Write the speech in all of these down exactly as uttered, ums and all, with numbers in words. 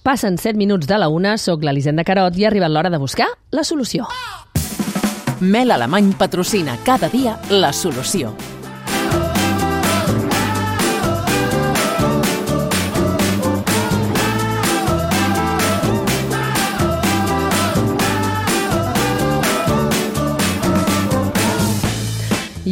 Passen set minuts de la una, soc l'Elisenda Carot i ha arribat l'hora de buscar la solució. Mel Alemany patrocina cada dia la solució.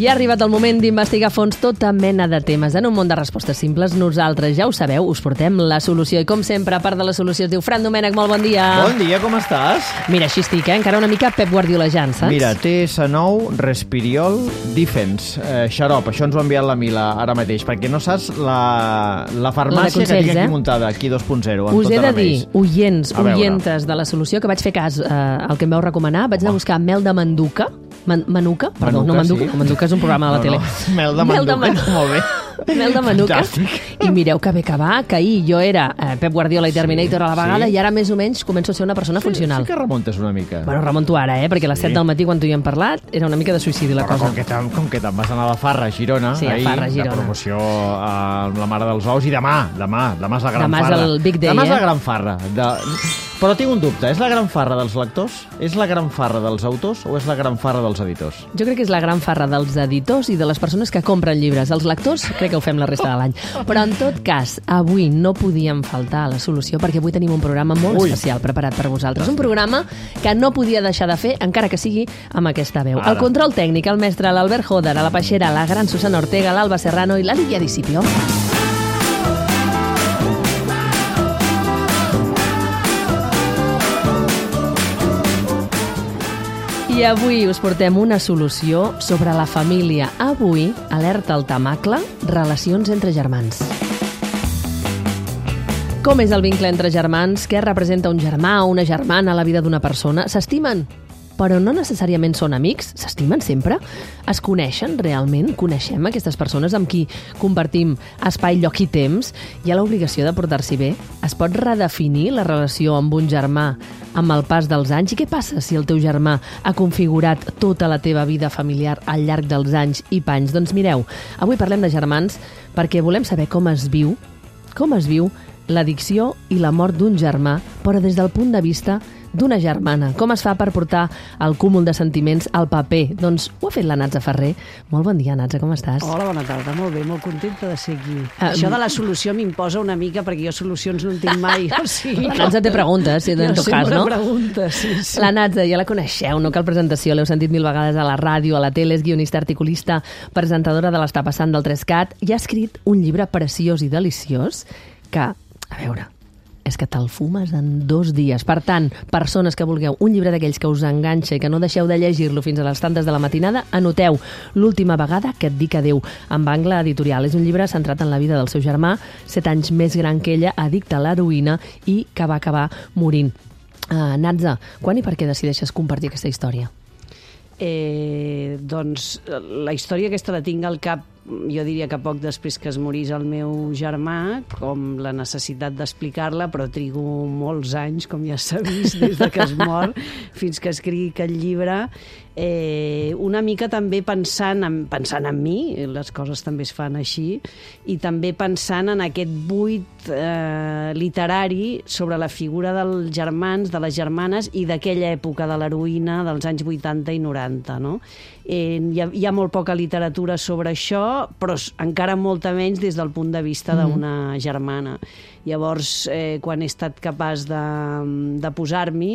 I ha arribat el moment d'investigar a fons tota mena de temes. En un món de respostes simples, nosaltres, ja ho sabeu, us portem la solució. I com sempre, a part de la solució, es diu Fran Domènech, molt bon dia. Bon dia, com estàs? Mira, així estic, eh? Encara una mica Pep Guardiolejant, saps? Mira, T S nou, Respiriol, Defense, eh, xarop. Això ens ho ha enviat la Mila ara mateix, perquè no saps la, la farmàcia la consells, que tinc aquí eh? muntada, aquí dos punt zero. Us he de dir, oients, oientes de la solució, que vaig fer cas eh, al que em vau recomanar, vaig anar a buscar mel de manduca, Man, manuca, perdó, manuca, no manduca, sí. no, manduca és un programa de la no, tele. No. Mel de manduca, mel de molt bé. Mel de manuca. I mireu que bé que va, que ahir jo era eh, Pep Guardiola i Terminator sí, a la vegada sí. I ara més o menys començo a ser una persona sí, funcional. Sí que remuntes una mica. Bueno, remonto ara, eh, perquè a les sí. set del matí quan tu hi hem parlat era una mica de suïcidi la Però cosa. Com que, com que te'n vas anar a la Farra, a Girona, sí, a ahir, Farra, Girona. de promoció a la Mare dels Ous, i demà, demà, demà és la gran demà farra. Demà és el big day, demà eh? és la gran farra. De... Però tinc un dubte, és la gran farra dels lectors? És la gran farra dels autors o és la gran farra dels editors? Jo crec que és la gran farra dels editors i de les persones que compren llibres. Els lectors crec que ho fem la resta de l'any. Però en tot cas, avui no podíem faltar a la solució perquè avui tenim un programa molt Ui. especial preparat per vosaltres. Un programa que no podia deixar de fer, encara que sigui amb aquesta veu. Ara. El control tècnic, el mestre, l'Albert Joder, a la Peixera, la gran Susana Ortega, l'Alba Serrano i la Lídia Discipio. I avui us portem una solució sobre la família. Avui, alerta al tamacle, relacions entre germans. Com és el vincle entre germans? Què representa un germà o una germana a la vida d'una persona? S'estimen? Però no necessàriament són amics? S'estimen sempre? Es coneixen realment? Coneixem aquestes persones amb qui compartim espai, lloc i temps? Hi ha l'obligació de portar-s'hi bé? Es pot redefinir la relació amb un germà amb el pas dels anys? I què passa si el teu germà ha configurat tota la teva vida familiar al llarg dels anys i panys? Doncs mireu, avui parlem de germans perquè volem saber com es viu, com es viu l'addicció i la mort d'un germà, però des del punt de vista d'una germana. Com es fa per portar el cúmul de sentiments al paper? Doncs ho ha fet la Natza Ferrer. Molt bon dia, Natza, com estàs? Hola, bona tarda, molt bé, molt contenta de ser aquí. Uh, Això de la solució m'imposa una mica perquè jo solucions no en tinc mai. O sigui, la Natza té preguntes, si en tot cas, no? Preguntes, sí, sí. La Natza, ja la coneixeu, no cal presentació, l'heu sentit mil vegades a la ràdio, a la tele, és guionista, articulista, presentadora de l'Està passant del Trescat, i ha escrit un llibre preciós i deliciós que, a veure, és que te'l fumes en dos dies. Per tant, persones que vulgueu un llibre d'aquells que us enganxa i que no deixeu de llegir-lo fins a les tantes de la matinada, anoteu L'última vegada que et dic adeu, amb Angle Editorial. És un llibre centrat en la vida del seu germà, set anys més gran que ella, addicte a l'heroïna i que va acabar morint. Uh, Natza, quan i per què decideixes compartir aquesta història? Eh, doncs la història aquesta la tinc al cap, jo diria que poc després que es morís el meu germà, com la necessitat d'explicar-la, però trigo molts anys, com ja s'ha vist, des de que es mor fins que escrigui aquest llibre. Eh, una mica també pensant en, pensant en mi, les coses també es fan així, i també pensant en aquest buit eh, literari sobre la figura dels germans, de les germanes i d'aquella època de l'heroïna dels anys vuitanta i noranta, no? Eh, hi, ha, hi ha molt poca literatura sobre això, però encara molta menys des del punt de vista d'una germana. Llavors, eh, quan he estat capaç de, de posar-m'hi,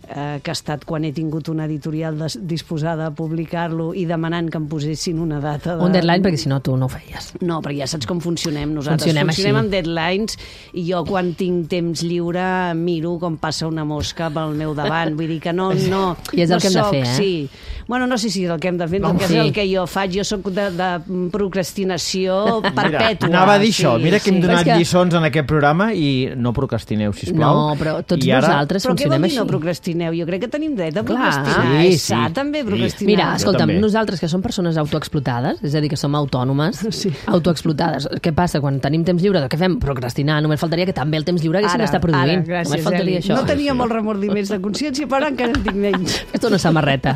eh, que ha estat quan he tingut una editorial des, disposada a publicar-lo i demanant que em posessin una data de... Un deadline, perquè si no tu no ho feies. No, perquè ja saps com funcionem nosaltres. Funcionem, funcionem així. amb deadlines, i jo quan tinc temps lliure miro com passa una mosca pel meu davant. Vull dir que no... no I és el no que hem soc, de fer, eh? Sí. Bueno, no sé si és el que hem de fer, no, perquè sí. és el que jo faig. Jo sóc de, de procrastinació perpètua. Mira, anava a dir sí, això. Mira que hem sí. donat que... lliçons en aquest programa i no procrastineu, sisplau. No, però tots I ara... nosaltres però funcionem així. Però què vol dir no procrastineu? Jo crec que tenim dret a Clar, procrastinar. sí, sí. Exactament. també procrastinar. Mira, escolta'm, també. nosaltres que som persones autoexplotades, és a dir, que som autònomes, sí. autoexplotades, què passa quan tenim temps lliure? Què fem? Procrastinar. Només faltaria que també el temps lliure haguéssim d'estar produint. Ara, gràcies, Només faltaria Eli. això. No tenia molts remordiments de consciència, però encara en tinc menys. Fes una samarreta.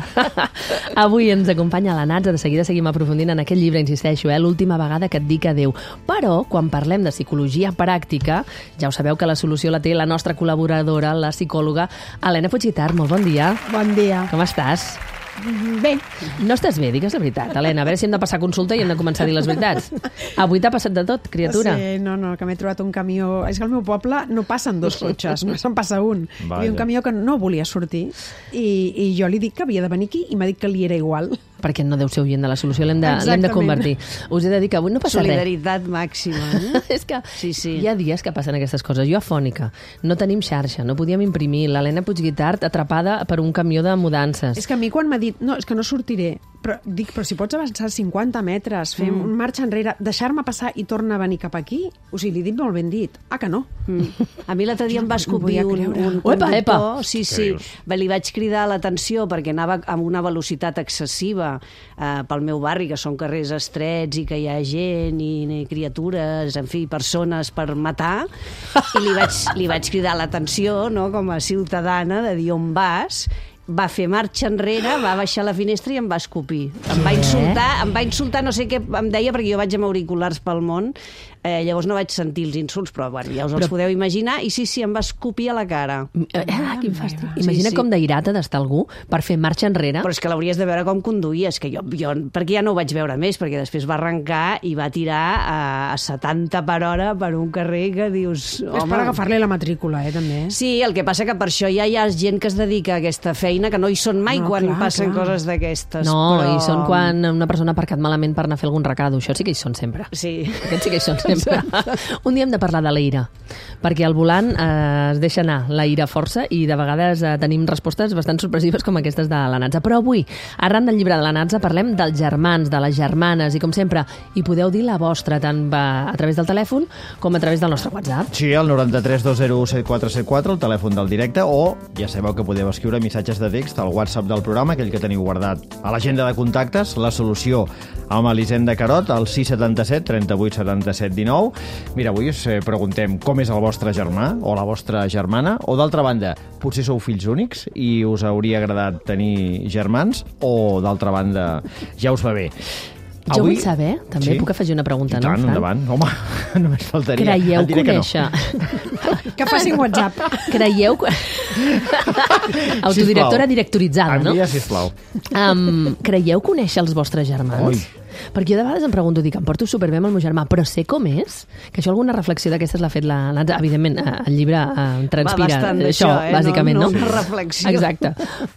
Avui ens acompanya la Natza, de seguida seguim aprofundint en aquest llibre, insisteixo, eh? L'última vegada que et dic adéu. Però, quan parlem de psicologia pràctica, ja ho sabeu que la solució la té la nostra col·laboradora, la psicòloga Helena Puigguitart. Molt bon dia. Bon dia. Com estàs? Bé. No estàs bé, digues la veritat, Helena. A veure si hem de passar consulta i hem de començar a dir les veritats. Avui t'ha passat de tot, criatura. Sí, no, no, que m'he trobat un camió... És que al meu poble no passen dos cotxes, no se'n passa un. Vaja. Hi havia un camió que no volia sortir i, i jo li dic que havia de venir aquí i m'ha dit que li era igual. Perquè no deu ser oient de la solució, l'hem de, l'hem de convertir. Us he de dir que avui no passa Solidaritat res. màxima. Eh? És que sí, sí. hi ha dies que passen aquestes coses. Jo afònica, no tenim xarxa, no podíem imprimir. L'Helena Puigguitart atrapada per un camió de mudances. És que a mi quan m'ha dit, no, és que no sortiré, però dic, però si pots avançar cinquanta metres, fer mm. un marxa enrere, deixar-me passar i tornar a venir cap aquí, o sigui, li he dit molt ben dit. Ah, que no? Mm. A mi l'altre dia em va escopir un, un conductor. Epa, sí, sí. Li vaig cridar l'atenció perquè anava amb una velocitat excessiva eh, pel meu barri, que són carrers estrets i que hi ha gent i, i criatures, en fi, persones per matar, i li vaig, li vaig cridar l'atenció, no?, com a ciutadana, de dir on vas. Va fer marxa enrere, va baixar la finestra i em va escopir. Em va insultar, em va insultar, no sé què em deia, perquè jo vaig amb auriculars pel món, eh, llavors no vaig sentir els insults, però bueno, ja us els però... podeu imaginar, i sí, sí, em va escopir a la cara. Ah, quin fàstic. Imagina sí, sí. com d'airata d'estar algú per fer marxa enrere. Però és que l'hauries de veure com conduïa, és que jo, jo, perquè ja no ho vaig veure més, perquè després va arrencar i va tirar a, a setanta per hora per un carrer que dius... És per agafar-li la matrícula, eh, també. Sí, el que passa que per això ja hi ha gent que es dedica a aquesta feina, que no hi són mai no, quan clar, passen clar. coses d'aquestes. No, però... hi són quan una persona ha aparcat malament per anar a fer algun recado. Això sí que hi són sempre. Sí. Aquests sí que hi són sempre. Un dia hem de parlar de la ira, perquè al volant eh, es deixa anar la ira força i de vegades eh, tenim respostes bastant sorpresives com aquestes de la Natza. Però avui, arran del llibre de la Natza, parlem dels germans, de les germanes, i com sempre, hi podeu dir la vostra, tant a través del telèfon com a través del nostre WhatsApp. Sí, el noranta-tres dos zero set quatre set quatre, el telèfon del directe, o ja sabeu que podeu escriure missatges de text al WhatsApp del programa, aquell que teniu guardat a l'agenda de contactes, la solució amb Elisenda Carot, al sis setanta set trenta vuit setanta set dinou. Mira, avui us preguntem com és el vostre germà o la vostra germana, o d'altra banda, potser sou fills únics i us hauria agradat tenir germans, o d'altra banda, ja us va bé. Jo Avui... vull saber, també sí? puc afegir una pregunta, I tant, no? endavant. Home, només faltaria. Creieu conèixer... Que, no. que facin WhatsApp. Creieu... Autodirectora directoritzada, no? Envia, sisplau. Um, creieu conèixer els vostres germans? Oi. Perquè jo de vegades em pregunto, dic, em porto superbé amb el meu germà, però sé com és? Que això alguna reflexió d'aquestes l'ha fet la Natza. Evidentment, el llibre eh, transpira Va això, eh? bàsicament, no? no? No una reflexió. Exacte.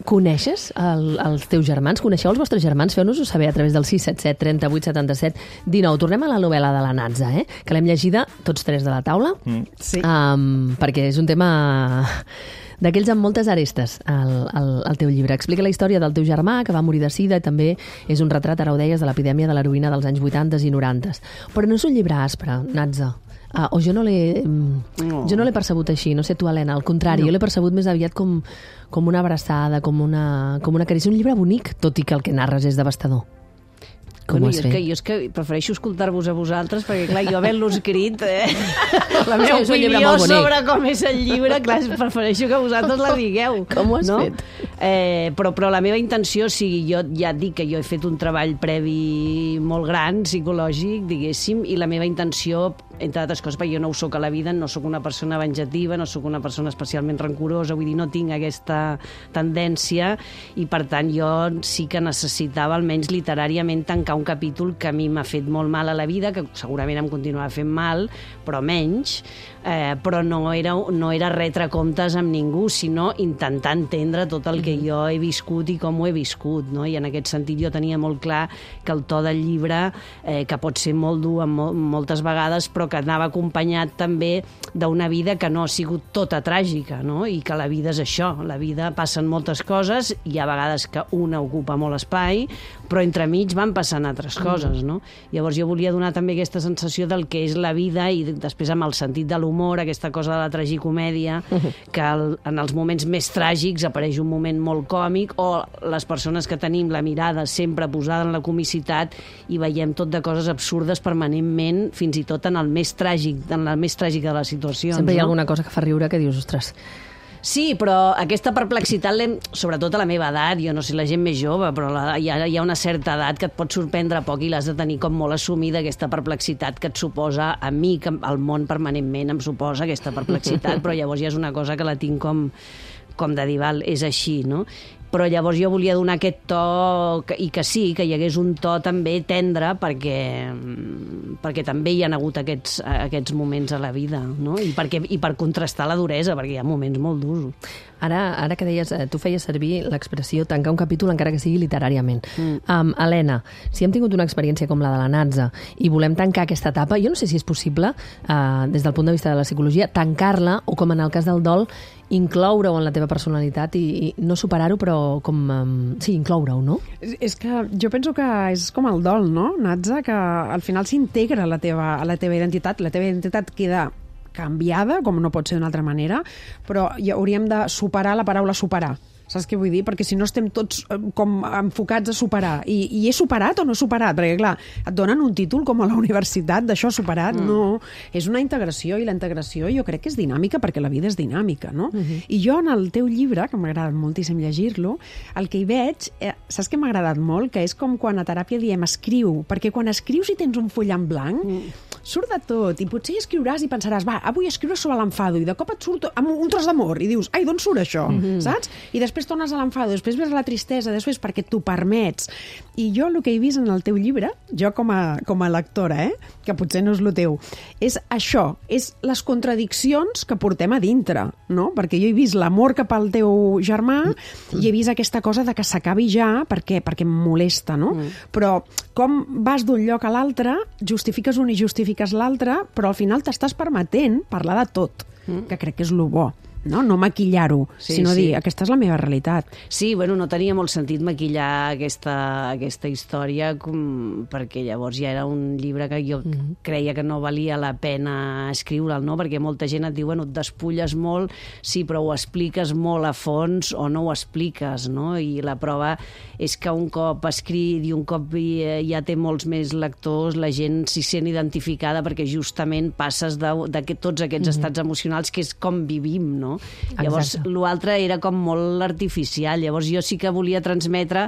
Coneixes el, els teus germans? Coneixeu els vostres germans? Feu-nos-ho saber a través del sis set set trenta vuit setanta set dinou. Tornem a la novel·la de la Natza, eh? Que l'hem llegida tots tres de la taula. Mm. Sí. Um, perquè és un tema... d'aquells amb moltes arestes, el, el, el teu llibre. Explica la història del teu germà, que va morir de sida, i també és un retrat, ara ho deies, de l'epidèmia de l'heroïna dels anys vuitanta i noranta. Però no és un llibre aspre, Natza. Uh, o jo no l'he no. jo no l'he percebut així, no sé tu, Helena, al contrari, no. Jo l'he percebut més aviat com, com una abraçada, com una, com una carícia. Un llibre bonic, tot i que el que narres és devastador. Com bueno, ho has jo, fet? és que, jo és que prefereixo escoltar-vos a vosaltres, perquè, clar, jo havent-lo escrit, eh, la meva sí, opinió sobre com és el llibre, clar, prefereixo que vosaltres la digueu. Com ho has no? fet? Eh, però, però la meva intenció, o sigui, jo ja et dic que jo he fet un treball previ molt gran, psicològic, diguéssim, i la meva intenció, entre altres coses, perquè jo no ho soc a la vida, no sóc una persona venjativa, no sóc una persona especialment rancorosa, vull dir, no tinc aquesta tendència, i per tant jo sí que necessitava, almenys literàriament, tancar un capítol que a mi m'ha fet molt mal a la vida, que segurament em continuarà fent mal, però menys, eh, però no era, no era retre comptes amb ningú, sinó intentar entendre tot el que jo he viscut i com ho he viscut, no? I en aquest sentit jo tenia molt clar que el to del llibre, eh, que pot ser molt dur mo moltes vegades, però que anava acompanyat també d'una vida que no ha sigut tota tràgica, no? I que la vida és això, la vida passen moltes coses, i hi ha vegades que una ocupa molt espai, però entremig van passant altres coses, no? Llavors jo volia donar també aquesta sensació del que és la vida i després amb el sentit de l'humor, aquesta cosa de la tragicomèdia, que el, en els moments més tràgics apareix un moment molt còmic, o les persones que tenim la mirada sempre posada en la comicitat i veiem tot de coses absurdes permanentment, fins i tot en el més tràgic, en la més tràgica de les situacions. Sempre hi ha no? alguna cosa que fa riure que dius, ostres... Sí, però aquesta perplexitat, sobretot a la meva edat, jo no sé, la gent més jove, però la, hi, ha, hi ha una certa edat que et pot sorprendre poc i l'has de tenir com molt assumida, aquesta perplexitat que et suposa, a mi, que el món permanentment em suposa aquesta perplexitat, però llavors ja és una cosa que la tinc com, com de dir, val, és així, no? Però llavors jo volia donar aquest to, que, i que sí, que hi hagués un to també tendre, perquè, perquè també hi ha hagut aquests, aquests moments a la vida, no? I, perquè, i per contrastar la duresa, perquè hi ha moments molt durs. Ara, ara que deies, tu feies servir l'expressió tancar un capítol encara que sigui literàriament. Mm. Um, Helena, si hem tingut una experiència com la de la Natza i volem tancar aquesta etapa, jo no sé si és possible, uh, des del punt de vista de la psicologia, tancar-la, o com en el cas del dol, incloure-ho en la teva personalitat i, i no superar-ho, però com... Um, sí, incloure-ho, no? És, és que jo penso que és com el dol, no, Natza? Que al final s'integra a la teva, a la teva identitat, la teva identitat queda canviada, com no pot ser d'una altra manera, però ja hauríem de superar la paraula superar. Saps què vull dir? Perquè si no estem tots com enfocats a superar. I, i he superat o no he superat? Perquè, clar, et donen un títol com a la universitat d'això superat. Mm. No, és una integració, i la integració jo crec que és dinàmica perquè la vida és dinàmica, no? Mm-hmm. I jo en el teu llibre, que m'ha agradat moltíssim llegir-lo, el que hi veig, eh, saps què m'ha agradat molt? Que és com quan a teràpia diem escriu, perquè quan escrius i tens un full en blanc, mm. surt de tot, i potser hi escriuràs i pensaràs, va, avui escriure sobre l'enfado, i de cop et surt amb un tros d'amor, i dius, ai, d'on surt això? Mm-hmm. Saps? I després tornes a l'enfado, després ves a la tristesa, després perquè t'ho permets. I jo el que he vist en el teu llibre, jo com a, com a lectora, eh, que potser no és el teu, és això, és les contradiccions que portem a dintre, no? Perquè jo he vist l'amor cap al teu germà i he vist aquesta cosa de que s'acabi ja perquè, perquè em molesta, no? Mm. Però com vas d'un lloc a l'altre, justifiques un i justifiques l'altre, però al final t'estàs permetent parlar de tot, mm. que crec que és lo bo. No, no maquillar-ho, sí, sinó sí. dir, aquesta és la meva realitat. Sí, bueno, no tenia molt sentit maquillar aquesta, aquesta història, com, perquè llavors ja era un llibre que jo mm-hmm. creia que no valia la pena escriure'l, no? Perquè molta gent et diu, bueno, et despulles molt, sí, però ho expliques molt a fons o no ho expliques, no? I la prova és que un cop escrit i un cop ja té molts més lectors, la gent s'hi sent identificada perquè justament passes de, de tots aquests mm-hmm. estats emocionals que és com vivim, no? Llavors, l'altre era com molt artificial. Llavors, jo sí que volia transmetre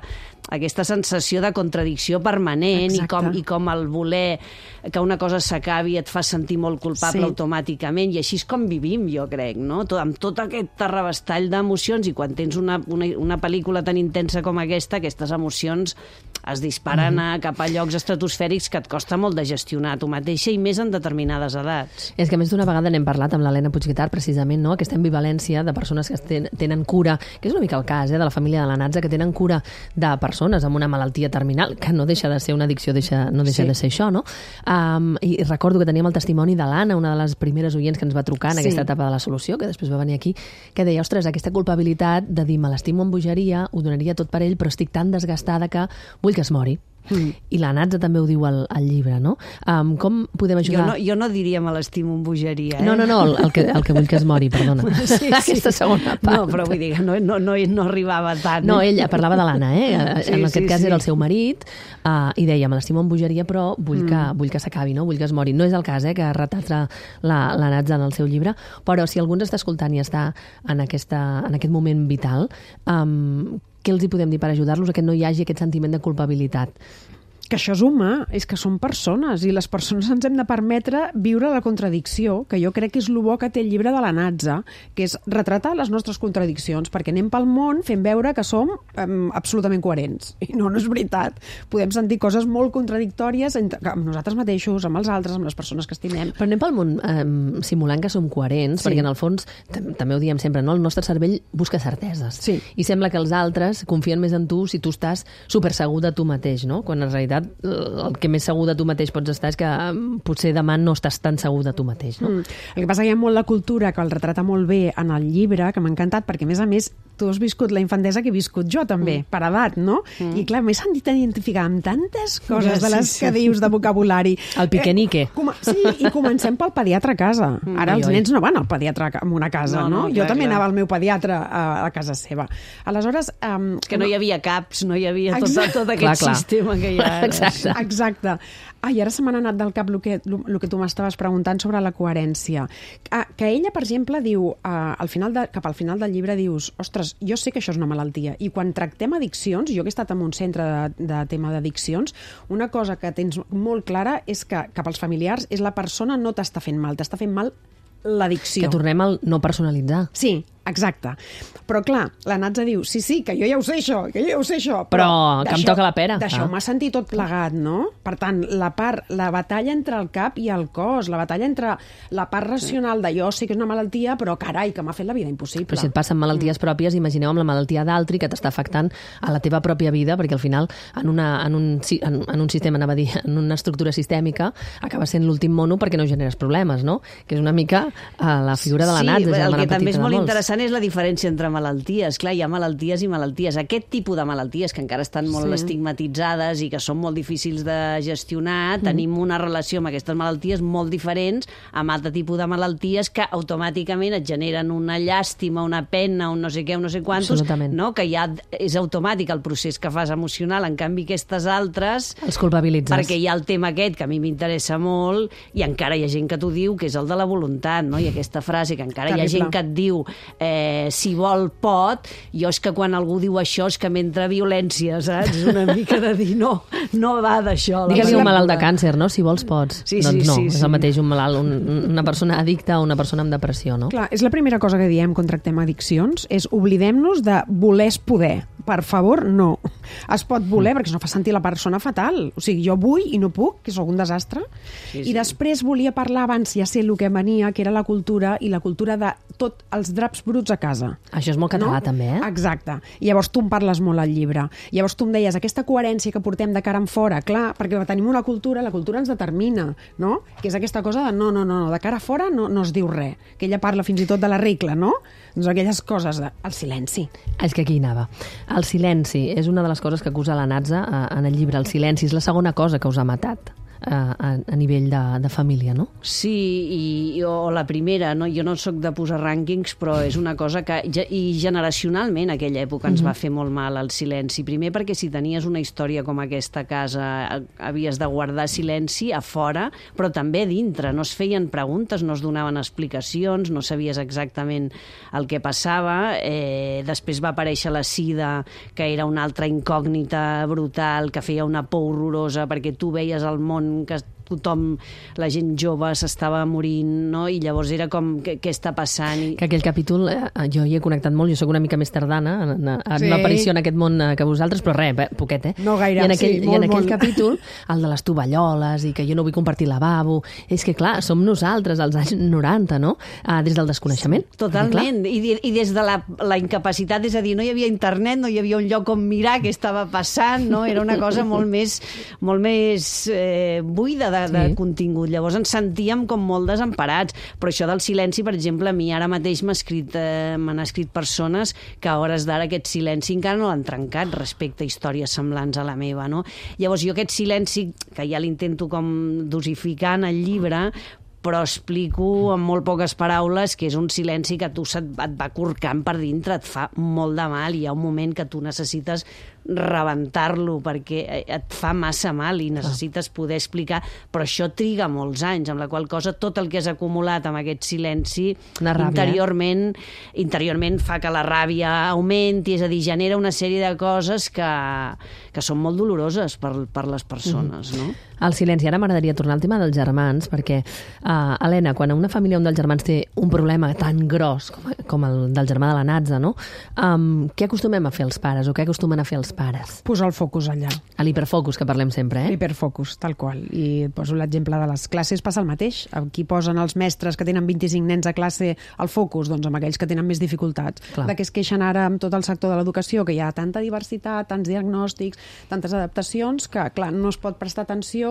aquesta sensació de contradicció permanent i com, i com el voler que una cosa s'acabi et fa sentir molt culpable sí. automàticament, i així és com vivim, jo crec, no? Tot, amb tot aquest terrabastall d'emocions, i quan tens una, una, una pel·lícula tan intensa com aquesta, aquestes emocions es disparen mm. a, cap a llocs estratosfèrics que et costa molt de gestionar a tu mateixa, i més en determinades edats. És que més d'una vegada n'hem parlat amb l'Helena Puigguitar, precisament, no? Aquesta ambivalència de persones que ten, tenen cura, que és una mica el cas eh, de la família de la Natza, que tenen cura de persones amb una malaltia terminal, que no deixa de ser una addicció, deixa, no deixa sí. de ser això, no? Um, I recordo que teníem el testimoni de l'Anna, una de les primeres oients que ens va trucar en sí. aquesta etapa de la solució, que després va venir aquí, que deia, ostres, aquesta culpabilitat de dir, me l'estimo amb bogeria, ho donaria tot per ell, però estic tan desgastada que vull que es mori. Mm. I la Natza també ho diu al, al llibre, no? Um, com podem ajudar? Jo no, jo no diria me l'estimo amb bogeria, eh? No, no, no, el, el, que, el que vull que es mori, perdona. Sí, sí. Aquesta segona part. No, però vull dir que no, no, no, no arribava tant. No, ella parlava de l'Anna, eh? Sí, en aquest sí, cas sí. era el seu marit, uh, i deia, me l'estimo amb bogeria, però vull que, mm. vull que s'acabi, no? Vull que es mori. No és el cas, eh, que retrata la, la Natza en el seu llibre, però si algú ens està escoltant i està en, aquesta, en aquest moment vital, um, què els hi podem dir per ajudar-los a que no hi hagi aquest sentiment de culpabilitat? Que això és humà, és que som persones, i les persones ens hem de permetre viure la contradicció, que jo crec que és el bo que té el llibre de la Natza, que és retratar les nostres contradiccions, perquè anem pel món fent veure que som um, absolutament coherents. I no, no és veritat. Podem sentir coses molt contradictòries entre, amb nosaltres mateixos, amb els altres, amb les persones que estimem. Però anem pel món um, simulant que som coherents, sí. perquè en el fons, també ho diem sempre, no? El nostre cervell busca certeses. Sí. I sembla que els altres confien més en tu si tu estàs supersegur de tu mateix, no? Quan en realitat el que més segur de tu mateix pots estar és que potser demà no estàs tan segur de tu mateix, no? Mm. El que passa que hi ha molt la cultura que el retrata molt bé en el llibre, que m'ha encantat, perquè a més a més tu has viscut la infantesa que he viscut jo, també, mm. per edat, no? Mm. I, clar, m'he sentit identificar amb tantes coses de les que dius de vocabulari. El piquenique. Eh, com, sí, i comencem pel pediatre a casa. Mm, Ara oi, els oi. nens no van al pediatre en una casa, no? no? no jo clar, també clar. anava al meu pediatre a, a casa seva. Aleshores... Um, És que no hi havia caps, no hi havia tot, tot aquest clar, clar. sistema que hi ha ara. Exacte. Exacte. Ai, ara se m'ha anat del cap el que, el que tu m'estaves preguntant sobre la coherència. Ah, que ella, per exemple, diu, uh, al final de, cap al final del llibre dius, ostres, jo sé que això és una malaltia. I quan tractem addiccions, jo que he estat en un centre de, de tema d'addiccions, una cosa que tens molt clara és que cap als familiars és la persona no t'està fent mal, t'està fent mal l'addicció. Que tornem al no personalitzar. Sí, exacte. Però, clar, la Natza diu, sí, sí, que jo ja ho sé això, que jo ja ho sé això. Però que em d'això- toca la pera. D'això Ah. m'ha sentit tot plegat, no? Per tant, la part, la batalla entre el cap i el cos, la batalla entre la part racional de jo sé que és una malaltia, però carai, que m'ha fet la vida impossible. Però si et passen malalties pròpies, imagineu amb la malaltia d'altri que t'està afectant a la teva pròpia vida, perquè al final, en, una, en, un, si- en, en un sistema, anava a dir, en una estructura sistèmica, acaba sent l'últim mono perquè no generes problemes, no? Que és una mica uh, la figura de la Sí, Natza, el germana que també és petita de molt molts. interessant és la diferència entre malalties. Clar, hi ha malalties i malalties. Aquest tipus de malalties, que encara estan molt Sí. estigmatitzades i que són molt difícils de gestionar, tenim una relació amb aquestes malalties molt diferents amb altre tipus de malalties que automàticament et generen una llàstima, una pena, un no sé què, un no sé quantos, Absolutament. no? Que ja és automàtic el procés que fas emocional. En canvi, aquestes altres... Els culpabilitzes. Perquè hi ha el tema aquest, que a mi m'interessa molt, i encara hi ha gent que t'ho diu, que és el de la voluntat, no? I aquesta frase, que encara Terrible. hi ha gent que et diu eh, si vol pot, jo és que quan algú diu això és que m'entra violència, saps? Una mica de dir no, no va d'això. la Digue-li un pel·lícula. malalt de càncer, no? Si vols, pots. Sí, doncs sí, no, sí, és sí. el mateix un malalt, un, una persona addicta o una persona amb depressió, no? Clar, és la primera cosa que diem quan tractem addiccions, és oblidem-nos de voler és poder. Per favor, no. Es pot voler, perquè això fa sentir la persona fatal. O sigui, jo vull i no puc, que sóc un desastre. Sí, I sí. després volia parlar abans, ja sé el que venia, que era la cultura, i la cultura de tot els draps bruts a casa. Això és molt català, també, eh? Exacte. I llavors tu en parles molt al llibre. I llavors tu em deies, aquesta coherència que portem de cara en fora, clar, perquè tenim una cultura, la cultura ens determina, no? Que és aquesta cosa de no, no, no, de cara a fora no, no es diu res. Que ella parla fins i tot de la regla, no? Doncs aquelles coses de... El silenci. És que aquí hi anava. El silenci és una de les coses que acusa la Natza eh, en el llibre. El silenci és la segona cosa que us ha matat eh, a, a nivell de, de família, no? Sí, i, o la primera, no? Jo no sóc de posar rànquings, però és una cosa que... ge- I generacionalment, a aquella època, ens va fer molt mal el silenci. Primer perquè si tenies una història com aquesta a casa, eh, havies de guardar silenci a fora, però també a dintre. No es feien preguntes, no es donaven explicacions, no sabies exactament el que passava. Eh, després va aparèixer la sida, que era una altra incògnita brutal, que feia una por horrorosa, perquè tu veies el món que tothom, la gent jove s'estava morint, no? I llavors era com, què, què està passant? I... Que aquell capítol, eh, jo hi he connectat molt, jo sóc una mica més tardana en, en, en Sí. l'aparició en aquest món eh, que vosaltres, però res, eh, poquet, eh? No gaire, I en aquell, sí, i molt, en aquell molt. capítol, el de les tovalloles i que jo no vull compartir lavabo, és que clar, som nosaltres, als anys noranta, no? Ah, des del desconeixement. Totalment, I, de- i des de la, la incapacitat, és a dir, no hi havia internet, no hi havia un lloc on mirar què estava passant, no? Era una cosa molt més, molt més eh, buida de, de Sí. contingut. Llavors ens sentíem com molt desemparats, però això del silenci, per exemple, a mi ara mateix m'ha escrit, eh, m'han escrit persones que a hores d'ara aquest silenci encara no l'han trencat respecte a històries semblants a la meva, no? Llavors jo aquest silenci, que ja l'intento com dosificar en el llibre, però explico en molt poques paraules que és un silenci que tu se't, et va corcant per dintre, et fa molt de mal, i hi ha un moment que tu necessites rebentar-lo perquè et fa massa mal i necessites poder explicar, però això triga molts anys, amb la qual cosa tot el que has acumulat amb aquest silenci Una ràbia, interiorment, interiorment fa que la ràbia augmenti, és a dir, genera una sèrie de coses que, que són molt doloroses per, per les persones, no? El silenci. Ara m'agradaria tornar al tema dels germans, perquè, uh, Helena, quan una família, un dels germans té un problema tan gros com, com el del germà de la Natza, no? Um, què acostumem a fer els pares, o què acostumen a fer els pares? Posar el focus allà. A l'hiperfocus, que parlem sempre, eh? Hiperfocus, tal qual. I et poso l'exemple de les classes, passa el mateix. Aquí posen els mestres que tenen vint-i-cinc nens a classe al focus, doncs amb aquells que tenen més dificultats. Clar. De què es queixen ara amb tot el sector de l'educació, que hi ha tanta diversitat, tants diagnòstics, tantes adaptacions, que, clar, no es pot prestar atenció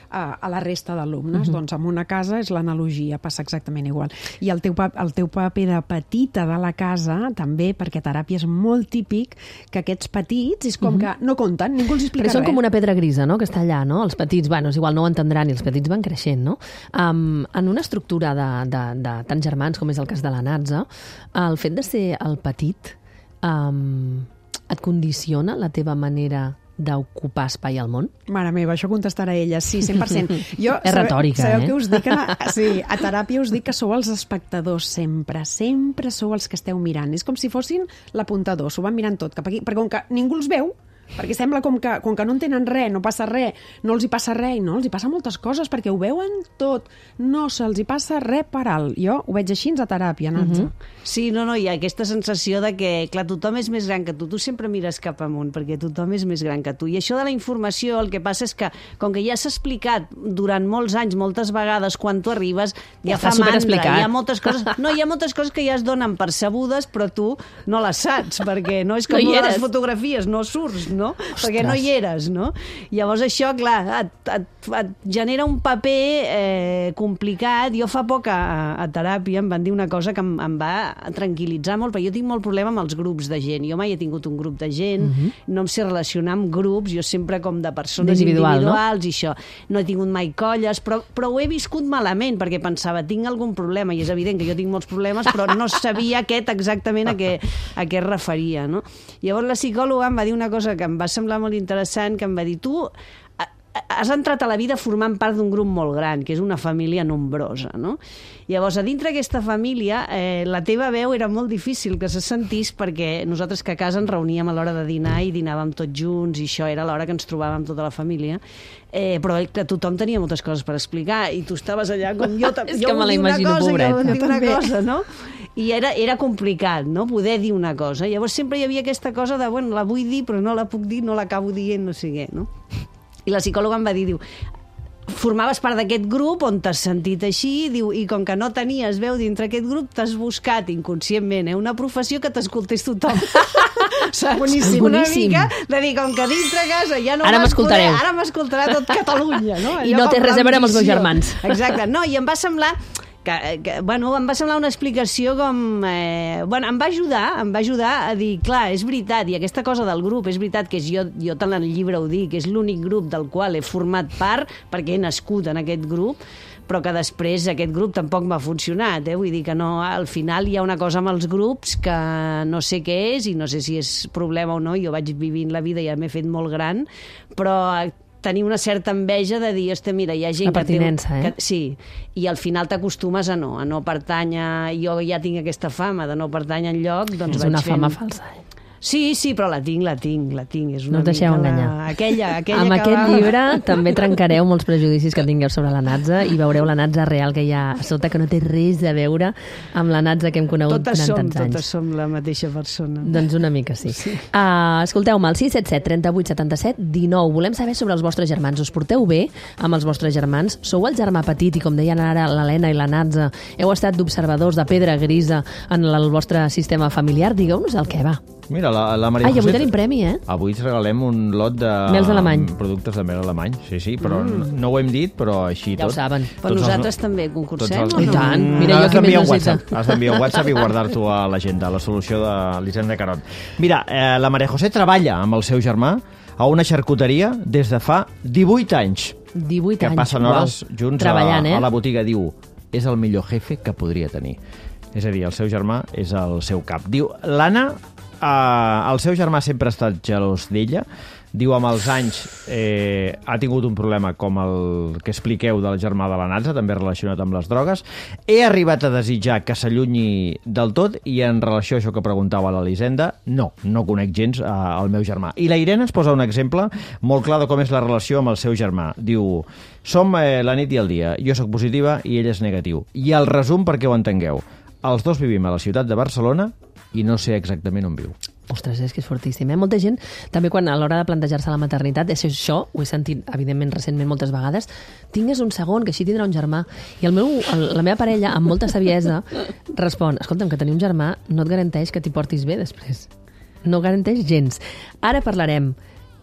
a, a la resta d'alumnes. Uh-huh. Doncs en una casa és l'analogia, passa exactament igual. I el teu, el teu paper de petita de la casa també, perquè teràpia és molt típic que aquests petits és com uh-huh. que no compten, ningú els explica res. Però són com una pedra grisa, no?, que està allà, no? Els petits, bueno, és igual, no ho entendran, i els petits van creixent, no? Um, en una estructura de, de, de tants germans, com és el cas de la Natza, el fet de ser el petit um, et condiciona la teva manera d'ocupar espai al món? Mare meva, això contestarà ella, sí, cent per cent. Jo, és retòrica, sabeu, sabeu eh? que us dic a, sí, a teràpia us dic que sou els espectadors sempre, sempre sou els que esteu mirant. És com si fossin l'apuntador, s'ho van mirant tot cap aquí, perquè com que ningú els veu, perquè sembla com que, com que no entenen res, no passa res, no els hi passa res, no, els hi passa moltes coses, perquè ho veuen tot, no se'ls hi passa res per alt. Jo ho veig així a teràpia, Natza. Uh-huh. Sí, no, no, hi ha aquesta sensació de que, clar, tothom és més gran que tu, tu sempre mires cap amunt, perquè tothom és més gran que tu. I això de la informació, el que passa és que, com que ja s'ha explicat durant molts anys, moltes vegades, quan tu arribes, ja, ja fa mandra, hi ha moltes coses, no, hi ha moltes coses que ja es donen percebudes, però tu no les saps, perquè no és com no les fotografies, no surts, no? Ostres. Perquè no hi eres, no? Llavors això, clar, et, et, et genera un paper eh, complicat. Jo fa poc a, a teràpia em van dir una cosa que em, em va tranquil·litzar molt, perquè jo tinc molt problema amb els grups de gent. Jo mai he tingut un grup de gent, uh-huh. no em sé relacionar amb grups, jo sempre com de persones Individual, individuals, no? I això. No he tingut mai colles, però, però ho he viscut malament, perquè pensava, tinc algun problema, i és evident que jo tinc molts problemes, però no sabia aquest exactament a què, a què es referia, no? Llavors la psicòloga em va dir una cosa que em va semblar molt interessant, que em va dir, tu has entrat a la vida formant part d'un grup molt gran, que és una família nombrosa, no? Llavors, a dintre d'aquesta família, eh, la teva veu era molt difícil que se sentís, perquè nosaltres que a casa ens reuníem a l'hora de dinar i dinàvem tots junts, i això era l'hora que ens trobàvem tota la família, eh, però que tothom tenia moltes coses per explicar, i tu estaves allà com jo, és jo que me la imagino, cosa, pobret. jo vull dir una cosa, no? I era, era complicat, no?, poder dir una cosa. Llavors sempre hi havia aquesta cosa de, bueno, la vull dir, però no la puc dir, no l'acabo dient, no sé què, no? I la psicòloga em va dir, diu, formaves part d'aquest grup on t'has sentit així, diu, i com que no tenies veu dintre aquest grup, t'has buscat inconscientment, eh, una professió que t'escoltés tothom. Saps? Boníssim, una boníssim. mica de dir, com que dintre casa ja no ara m'escoltareu. Ara m'escoltarà tot Catalunya, no? I no té res a veure amb els meus germans. Exacte, no, i em va semblar... Que, que, bueno, em va semblar una explicació com... Eh, bueno, em va ajudar, em va ajudar a dir, clar, és veritat, i aquesta cosa del grup, és veritat que és, jo, jo tant en el llibre ho dic, és l'únic grup del qual he format part, perquè he nascut en aquest grup, però que després aquest grup tampoc m'ha funcionat, eh? Vull dir que no, al final hi ha una cosa amb els grups que no sé què és, i no sé si és problema o no, jo vaig vivint la vida i ja m'he fet molt gran, però... tenir una certa enveja de dir, hosti, mira, hi ha gent la pertinença, que té... eh? Que, sí, i al final t'acostumes a no, a no pertànyer, jo ja tinc aquesta fama de no pertànyer enlloc, doncs és vaig una fent... fama falsa, eh? Sí, sí, però la tinc, la tinc, la tinc. És una no us deixeu mica enganyar. La... Aquella, aquella amb que aquest va... llibre també trencareu molts prejudicis que tingueu sobre la Natza i veureu la Natza real que hi ha a sota, que no té res a veure amb la Natza que hem conegut totes durant som, tants anys. Totes som la mateixa persona. Doncs una mica sí. sí. Uh, escolteu-me, al sis set set, trenta-vuit, setanta-set, dinou. Volem saber sobre els vostres germans. Us porteu bé amb els vostres germans? Sou el germà petit i, com deien ara l'Helena i la Natza, heu estat d'observadors de pedra grisa en el vostre sistema familiar? Digueu-nos el què va. Mira, la, la Maria Ai, José... avui tenim premi, eh? Avui ens regalem un lot de... Mels alemany. Productes de mel alemany, sí, sí, però mm. no ho hem dit, però així ja tot. Ja ho saben. Però tots nosaltres els... també concursem, els... o no? I tant. Mm, Mira, jo has qui més un necessita. WhatsApp, has d'enviar un WhatsApp i guardar-t'ho a l'agenda, la solució de l'Hisenda Carot. Mira, eh, la Maria José treballa amb el seu germà a una xarcuteria des de fa divuit anys. divuit que anys. passen hores Uau. junts treballant, a, eh? a la botiga. Diu, és el millor jefe que podria tenir. És a dir, el seu germà és el seu cap. Diu, l'Anna, eh, el seu germà sempre ha estat gelós d'ella. Diu, amb els anys eh, ha tingut un problema com el que expliqueu del germà de la Natza, també relacionat amb les drogues. He arribat a desitjar que s'allunyi del tot, i en relació a això que preguntava l'Elisenda, no, no conec gens eh, el meu germà. I la Irene ens posa un exemple molt clar de com és la relació amb el seu germà. Diu, som eh, la nit i el dia, jo sóc positiva i ell és negatiu. I el resum perquè ho entengueu. Els dos vivim a la ciutat de Barcelona i no sé exactament on viu. Ostres, és que és fortíssim, eh? Molta gent, també quan a l'hora de plantejar-se la maternitat, és això, ho he sentit, evidentment, recentment moltes vegades, tingues un segon, que així tindrà un germà. I el meu, el, la meva parella, amb molta saviesa, respon, escolta'm, que tenir un germà no et garanteix que t'hi portis bé després. No garanteix gens. Ara parlarem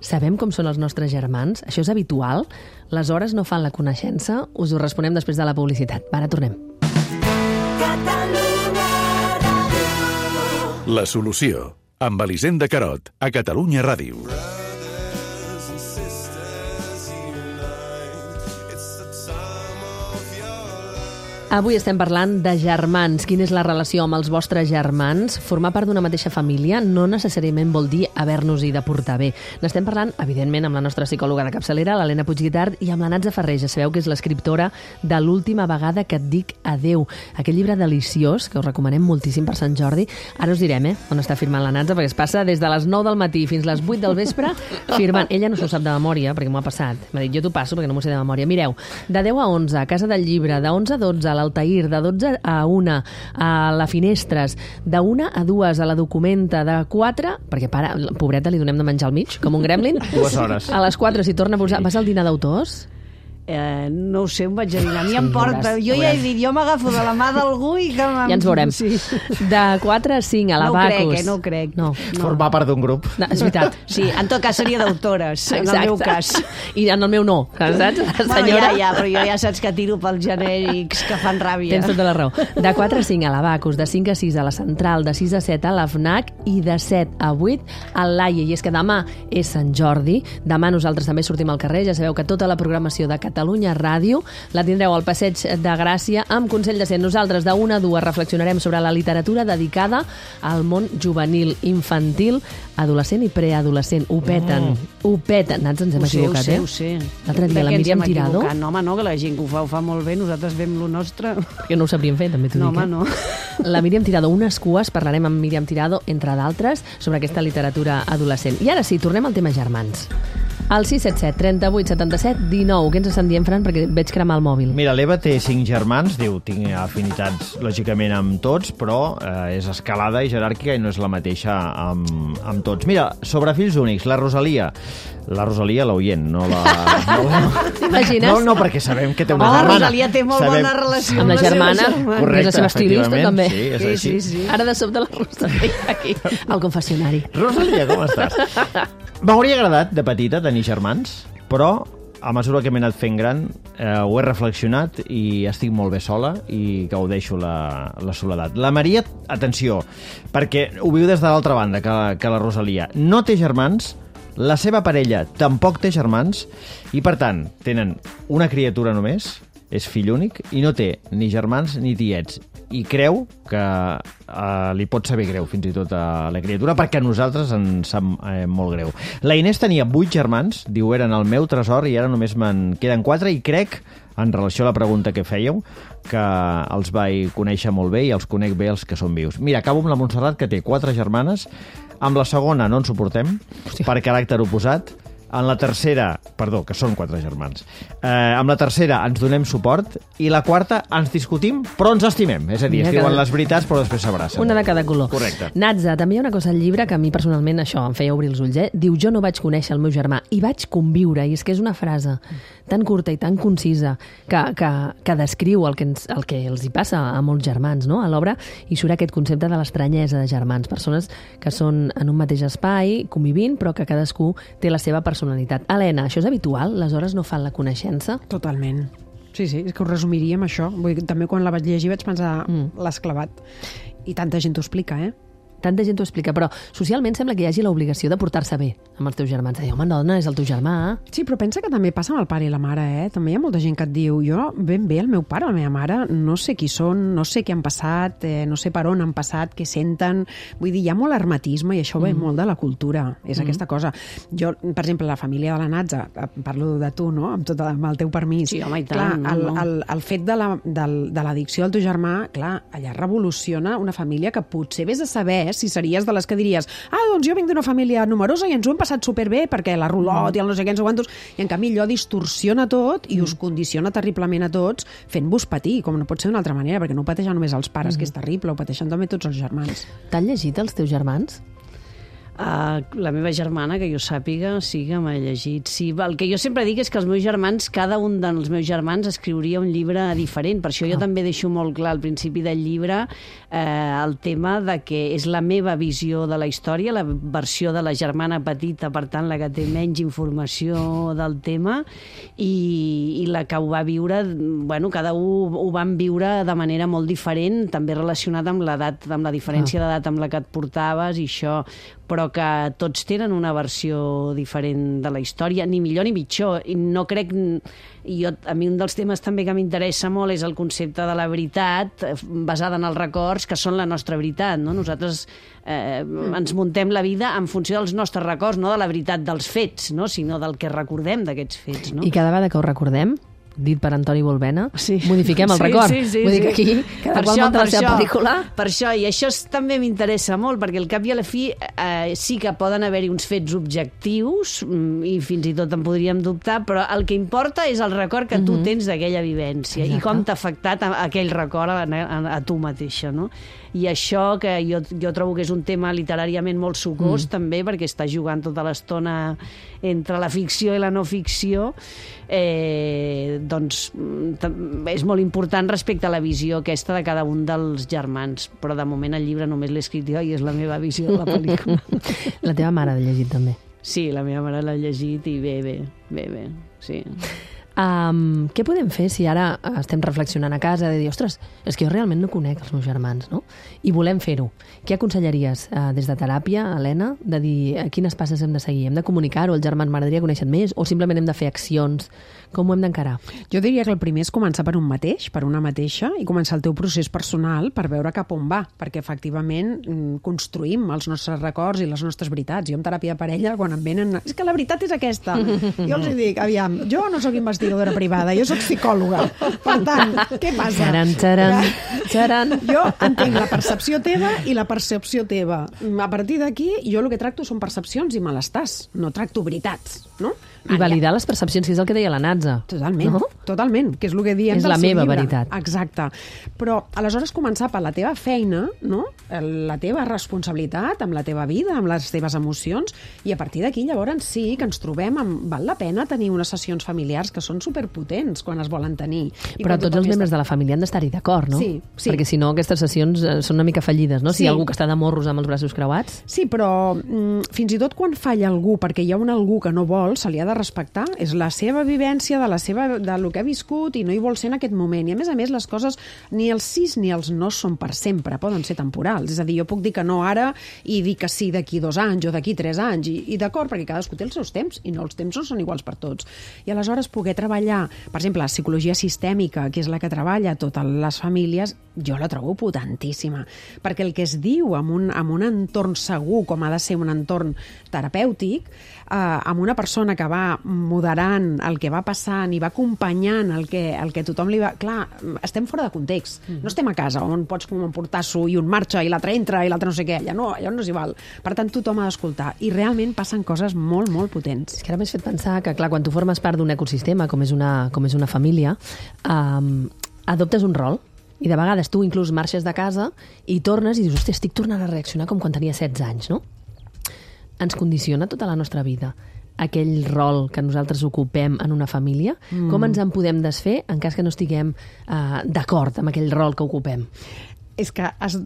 Sabem com són els nostres germans? Això és habitual? Les hores no fan la coneixença? Us ho responem després de la publicitat. Ara tornem. La solució, amb Elisenda Carot, a Catalunya Ràdio. Avui estem parlant de germans. Quina és la relació amb els vostres germans? Formar part d'una mateixa família no necessàriament vol dir haver-nos-hi de portar bé. N'estem parlant, evidentment, amb la nostra psicòloga de capçalera, l'Helena Puigguitart, i amb la Natza Ferrer. Ja sabeu que és l'escriptora de L'última vegada que et dic adeu. Aquest llibre deliciós, que us recomanem moltíssim per Sant Jordi. Ara us direm, eh, on està firmant la Natza, perquè es passa des de les nou del matí fins les vuit del vespre firmant. Ella no s'ho sap de memòria, perquè m'ho ha passat. M'ha dit, jo t'ho passo perquè no m'ho sé de memòria. Mireu, de deu a onze, a Casa del Llibre, de onze a dotze, a l'Altair, de dotze a una, a la Finestres, de una a dues, a la Documenta, de quatre, perquè para, pobreta, li donem de menjar al mig, com un gremlin. Dues hores. A les quatre, si torna a posar... Vas al dinar d'autors? Eh, no ho sé, em vaig a dinar. A mi em porta. Jo ja he dit, jo m'agafo de la mà d'algú i que... Ja ens veurem. Sí. De quatre a cinc, a la No ho crec, Bacus. eh, no ho crec. No. Formar part d'un grup. No, és veritat. Sí, en tot cas seria d'autores, en el meu cas. I en el meu no, saps? La Bueno, senyora... ja, ja, però jo ja saps que tiro pels genèrics que fan ràbia. Tens tota la raó. De quatre a cinc a la Bacus, de cinc a sis a la Central, de sis a set a la FNAC i de set a vuit al Laia. I és que demà és Sant Jordi, demà nosaltres també sortim al carrer, ja sabeu que tota la programació de Catalunya Ràdio la tindreu al Passeig de Gràcia amb Consell de Cent. Nosaltres de una a dues reflexionarem sobre la literatura dedicada al món juvenil, infantil, adolescent i preadolescent. Ho peten, mm. ho peten. Nats, ens hem Ho sé, equivocat, ho sé, eh? ho sé. L'altre dia De la què ens Míriam hem Tirado... equivocat? No, home, no, que la gent que ho fa ho fa molt bé, nosaltres fem lo nostre. Que no ho sabríem fer, també t'ho No, dic. home, eh? no. La Míriam Tirado, unes cues, parlarem amb Míriam Tirado, entre d'altres, sobre aquesta literatura adolescent. I ara sí, tornem al tema germans. Al sis set set, trenta-vuit, setanta-set, dinou. Què ens estan dient, Fran? Perquè veig cremar el mòbil. Mira, l'Eva té cinc germans, diu, tinc afinitats lògicament amb tots, però eh, és escalada i jeràrquica i no és la mateixa amb, amb tots. Mira, sobre fills únics, la Rosalia, la Rosalia, l'oient, no la... No, T'imagines? no, no, perquè sabem que té una Oh, la germana. Rosalia té molt Sabem- bona relació Amb la germana, seva germana. Correcte, és la seva estilista, efectivament, també. sí, és Sí, així. sí, sí. Ara de sobte la Rosalia aquí, al confessionari. Rosalia, com estàs? M'hauria agradat, de petita, tenir germans, però a mesura que m'he anat fent gran eh, ho he reflexionat i estic molt bé sola i gaudeixo la, la soledat. La Maria, atenció, perquè ho viu des de l'altra banda que, que la Rosalia. No té germans, la seva parella tampoc té germans i, per tant, tenen una criatura només, és fill únic, i no té ni germans ni tiets. I creu que eh, li pot saber greu, fins i tot, a la criatura, perquè a nosaltres ens sap eh, molt greu. La Inés tenia vuit germans, diu, eren el meu tresor, i ara només me'n queden quatre, i crec, en relació a la pregunta que fèieu, que els vaig conèixer molt bé i els conec bé els que són vius. Mira, acabo amb la Montserrat, que té quatre germanes, amb la segona no ens suportem, Hòstia. per caràcter oposat. En la tercera, perdó, que són quatre germans, eh, amb la tercera ens donem suport i la quarta ens discutim però ens estimem. És a dir, Mira es que- diuen les veritats però després s'abracen. Una de cada color. Correcte. Natza, també hi ha una cosa al llibre que a mi personalment això em feia obrir els ulls. Eh? Diu, jo no vaig conèixer el meu germà i vaig conviure. I és que és una frase tan curta i tan concisa que, que, que descriu el que, ens, el que els hi passa a molts germans, no? A l'obra hi surt aquest concepte de l'estranyesa de germans. Persones que són en un mateix espai, convivint, però que cadascú té la seva personalitat. Helena, això és habitual? Les hores no fan la coneixença? Totalment. Sí, sí, és que ho resumiria amb això. Vull dir, també quan la vaig llegir vaig pensar, Mm. mm. l'has clavat. I tanta gent t'ho explica, eh? Tanta gent t'ho explica, però socialment sembla que hi hagi l'obligació de portar-se bé amb els teus germans. De dir, home, dona, és el teu germà. Sí, però pensa que també passa amb el pare i la mare, eh? També hi ha molta gent que et diu, jo ben bé el meu pare, la meva mare, no sé qui són, no sé què han passat, eh, no sé per on han passat, què senten... Vull dir, hi ha molt hermetisme i això ve mm. molt de la cultura, és mm. aquesta cosa. Jo, per exemple, la família de la Natza, parlo de tu, no?, amb, tot, amb el teu permís. Sí, home, i tant, clar, no, el, no. el, el fet de la- del- de l'addicció al teu germà, clar, allà revoluciona una família que potser vés a saber si series de les que diries, ah, doncs jo vinc d'una família numerosa i ens ho hem passat superbé perquè la rulot i el no sé què, ens ho quantos, i en canvi allò distorsiona tot i us condiciona terriblement a tots fent-vos patir, com no pot ser d'una altra manera, perquè no ho pateixen només els pares, mm-hmm. que és terrible, ho pateixen també tots els germans. T'han llegit els teus germans? Uh, la meva germana, que jo sàpiga, sí que m'ha llegit. Sí, el que jo sempre dic és que els meus germans, cada un dels meus germans escriuria un llibre diferent. Per això jo ah. també deixo molt clar al principi del llibre eh, el tema de que és la meva visió de la història, la versió de la germana petita, per tant, la que té menys informació del tema, i, i la que ho va viure, bueno, cada un ho van viure de manera molt diferent, també relacionat amb l'edat, amb la diferència ah. d'edat amb la que et portaves i això, però que tots tenen una versió diferent de la història, ni millor ni pitjor. I no crec... I jo, a mi un dels temes també que m'interessa molt és el concepte de la veritat basada en els records, que són la nostra veritat, no? Nosaltres eh, ens muntem la vida en funció dels nostres records, no de la veritat dels fets, no? Sinó del que recordem d'aquests fets, no? I cada vegada que ho recordem, dit per Antoni Bolbena, sí. modifiquem el sí, record. Sí, sí, Vull dir sí. que aquí, cada qual munta la seva pel·lícula. Per això, i això també m'interessa molt, perquè al cap i a la fi eh, sí que poden haver-hi uns fets objectius, i fins i tot en podríem dubtar, però el que importa és el record que tu mm-hmm. tens d'aquella vivència. Exacte. I com t'ha afectat aquell record a, a, a tu mateixa, no? I això, que jo, jo trobo que és un tema literàriament molt sucós, mm. també, perquè està jugant tota l'estona entre la ficció i la no ficció, eh, doncs és molt important respecte a la visió aquesta de cada un dels germans. Però de moment el llibre només l'he escrit jo i és la meva visió de la pel·lícula. La teva mare l'ha llegit també? Sí, la meva mare l'ha llegit i bé, bé, bé, bé, sí. Um, què podem fer si ara estem reflexionant a casa de dir, ostres, és que jo realment no conec els meus germans, no? I volem fer-ho. Què aconsellaries uh, des de teràpia, Helena, de dir uh, quines passes hem de seguir? Hem de comunicar-ho? El germà m'agradaria conèixer més? O simplement hem de fer accions? Com ho hem d'encarar? Jo diria que el primer és començar per un mateix, per una mateixa, i començar el teu procés personal per veure cap on va, perquè efectivament construïm els nostres records i les nostres veritats. Jo en teràpia de parella, quan em venen... És que la veritat és aquesta. Jo els dic, aviam, jo no sóc investigadora privada, jo sóc psicòloga. Per tant, què passa? Txaran, txaran, txaran. Jo entenc la percepció teva i la percepció teva. A partir d'aquí, jo el que tracto són percepcions i malestars. No tracto veritats, no? I validar les percepcions, que és el que deia la Natza. Totalment, no? totalment, que és el que diem és del la seu meva llibre. veritat. Exacte. Però aleshores començar per la teva feina, no? La teva responsabilitat amb la teva vida, amb les teves emocions, i a partir d'aquí llavors sí que ens trobem amb... Val la pena tenir unes sessions familiars que són superpotents quan es volen tenir. I però tots els membres està... de la família han d'estar-hi d'acord, no? Sí, sí. Perquè si no aquestes sessions són una mica fallides, no? Si sí. hi ha algú que està de morros amb els braços creuats... Sí, però mm, fins i tot quan falla algú perquè hi ha un algú que no vol, se li ha de respectar. És la seva vivència, de la seva, de lo que ha viscut i no hi vol ser en aquest moment. I a més a més les coses, ni els sís ni els no són per sempre, poden ser temporals. És a dir, jo puc dir que no ara i dir que sí d'aquí dos anys o d'aquí tres anys. I, i d'acord, perquè cadascú té els seus temps i no els temps no són iguals per tots. I aleshores poder treballar, per exemple, la psicologia sistèmica, que és la que treballa totes les famílies, jo la trobo potentíssima. Perquè el que es diu en un, en un entorn segur, com ha de ser un entorn terapèutic, eh, amb una persona que va moderant el que va passant i va acompanyant el que, el que tothom li va... Clar, estem fora de context. Mm-hmm. No estem a casa on pots com un portasso i un marxa i l'altre entra i l'altre no sé què. Allà no, allà no s'hi val. Per tant, tothom ha d'escoltar. I realment passen coses molt, molt potents. És que ara m'has fet pensar que, clar, quan tu formes part d'un ecosistema, com és una, com és una família, um, adoptes un rol. I de vegades tu inclús marxes de casa i tornes i dius, hòstia, estic tornant a reaccionar com quan tenia setze anys, no? Ens condiciona tota la nostra vida aquell rol que nosaltres ocupem en una família. Mm. Com ens en podem desfer en cas que no estiguem uh, d'acord amb aquell rol que ocupem? És que, es,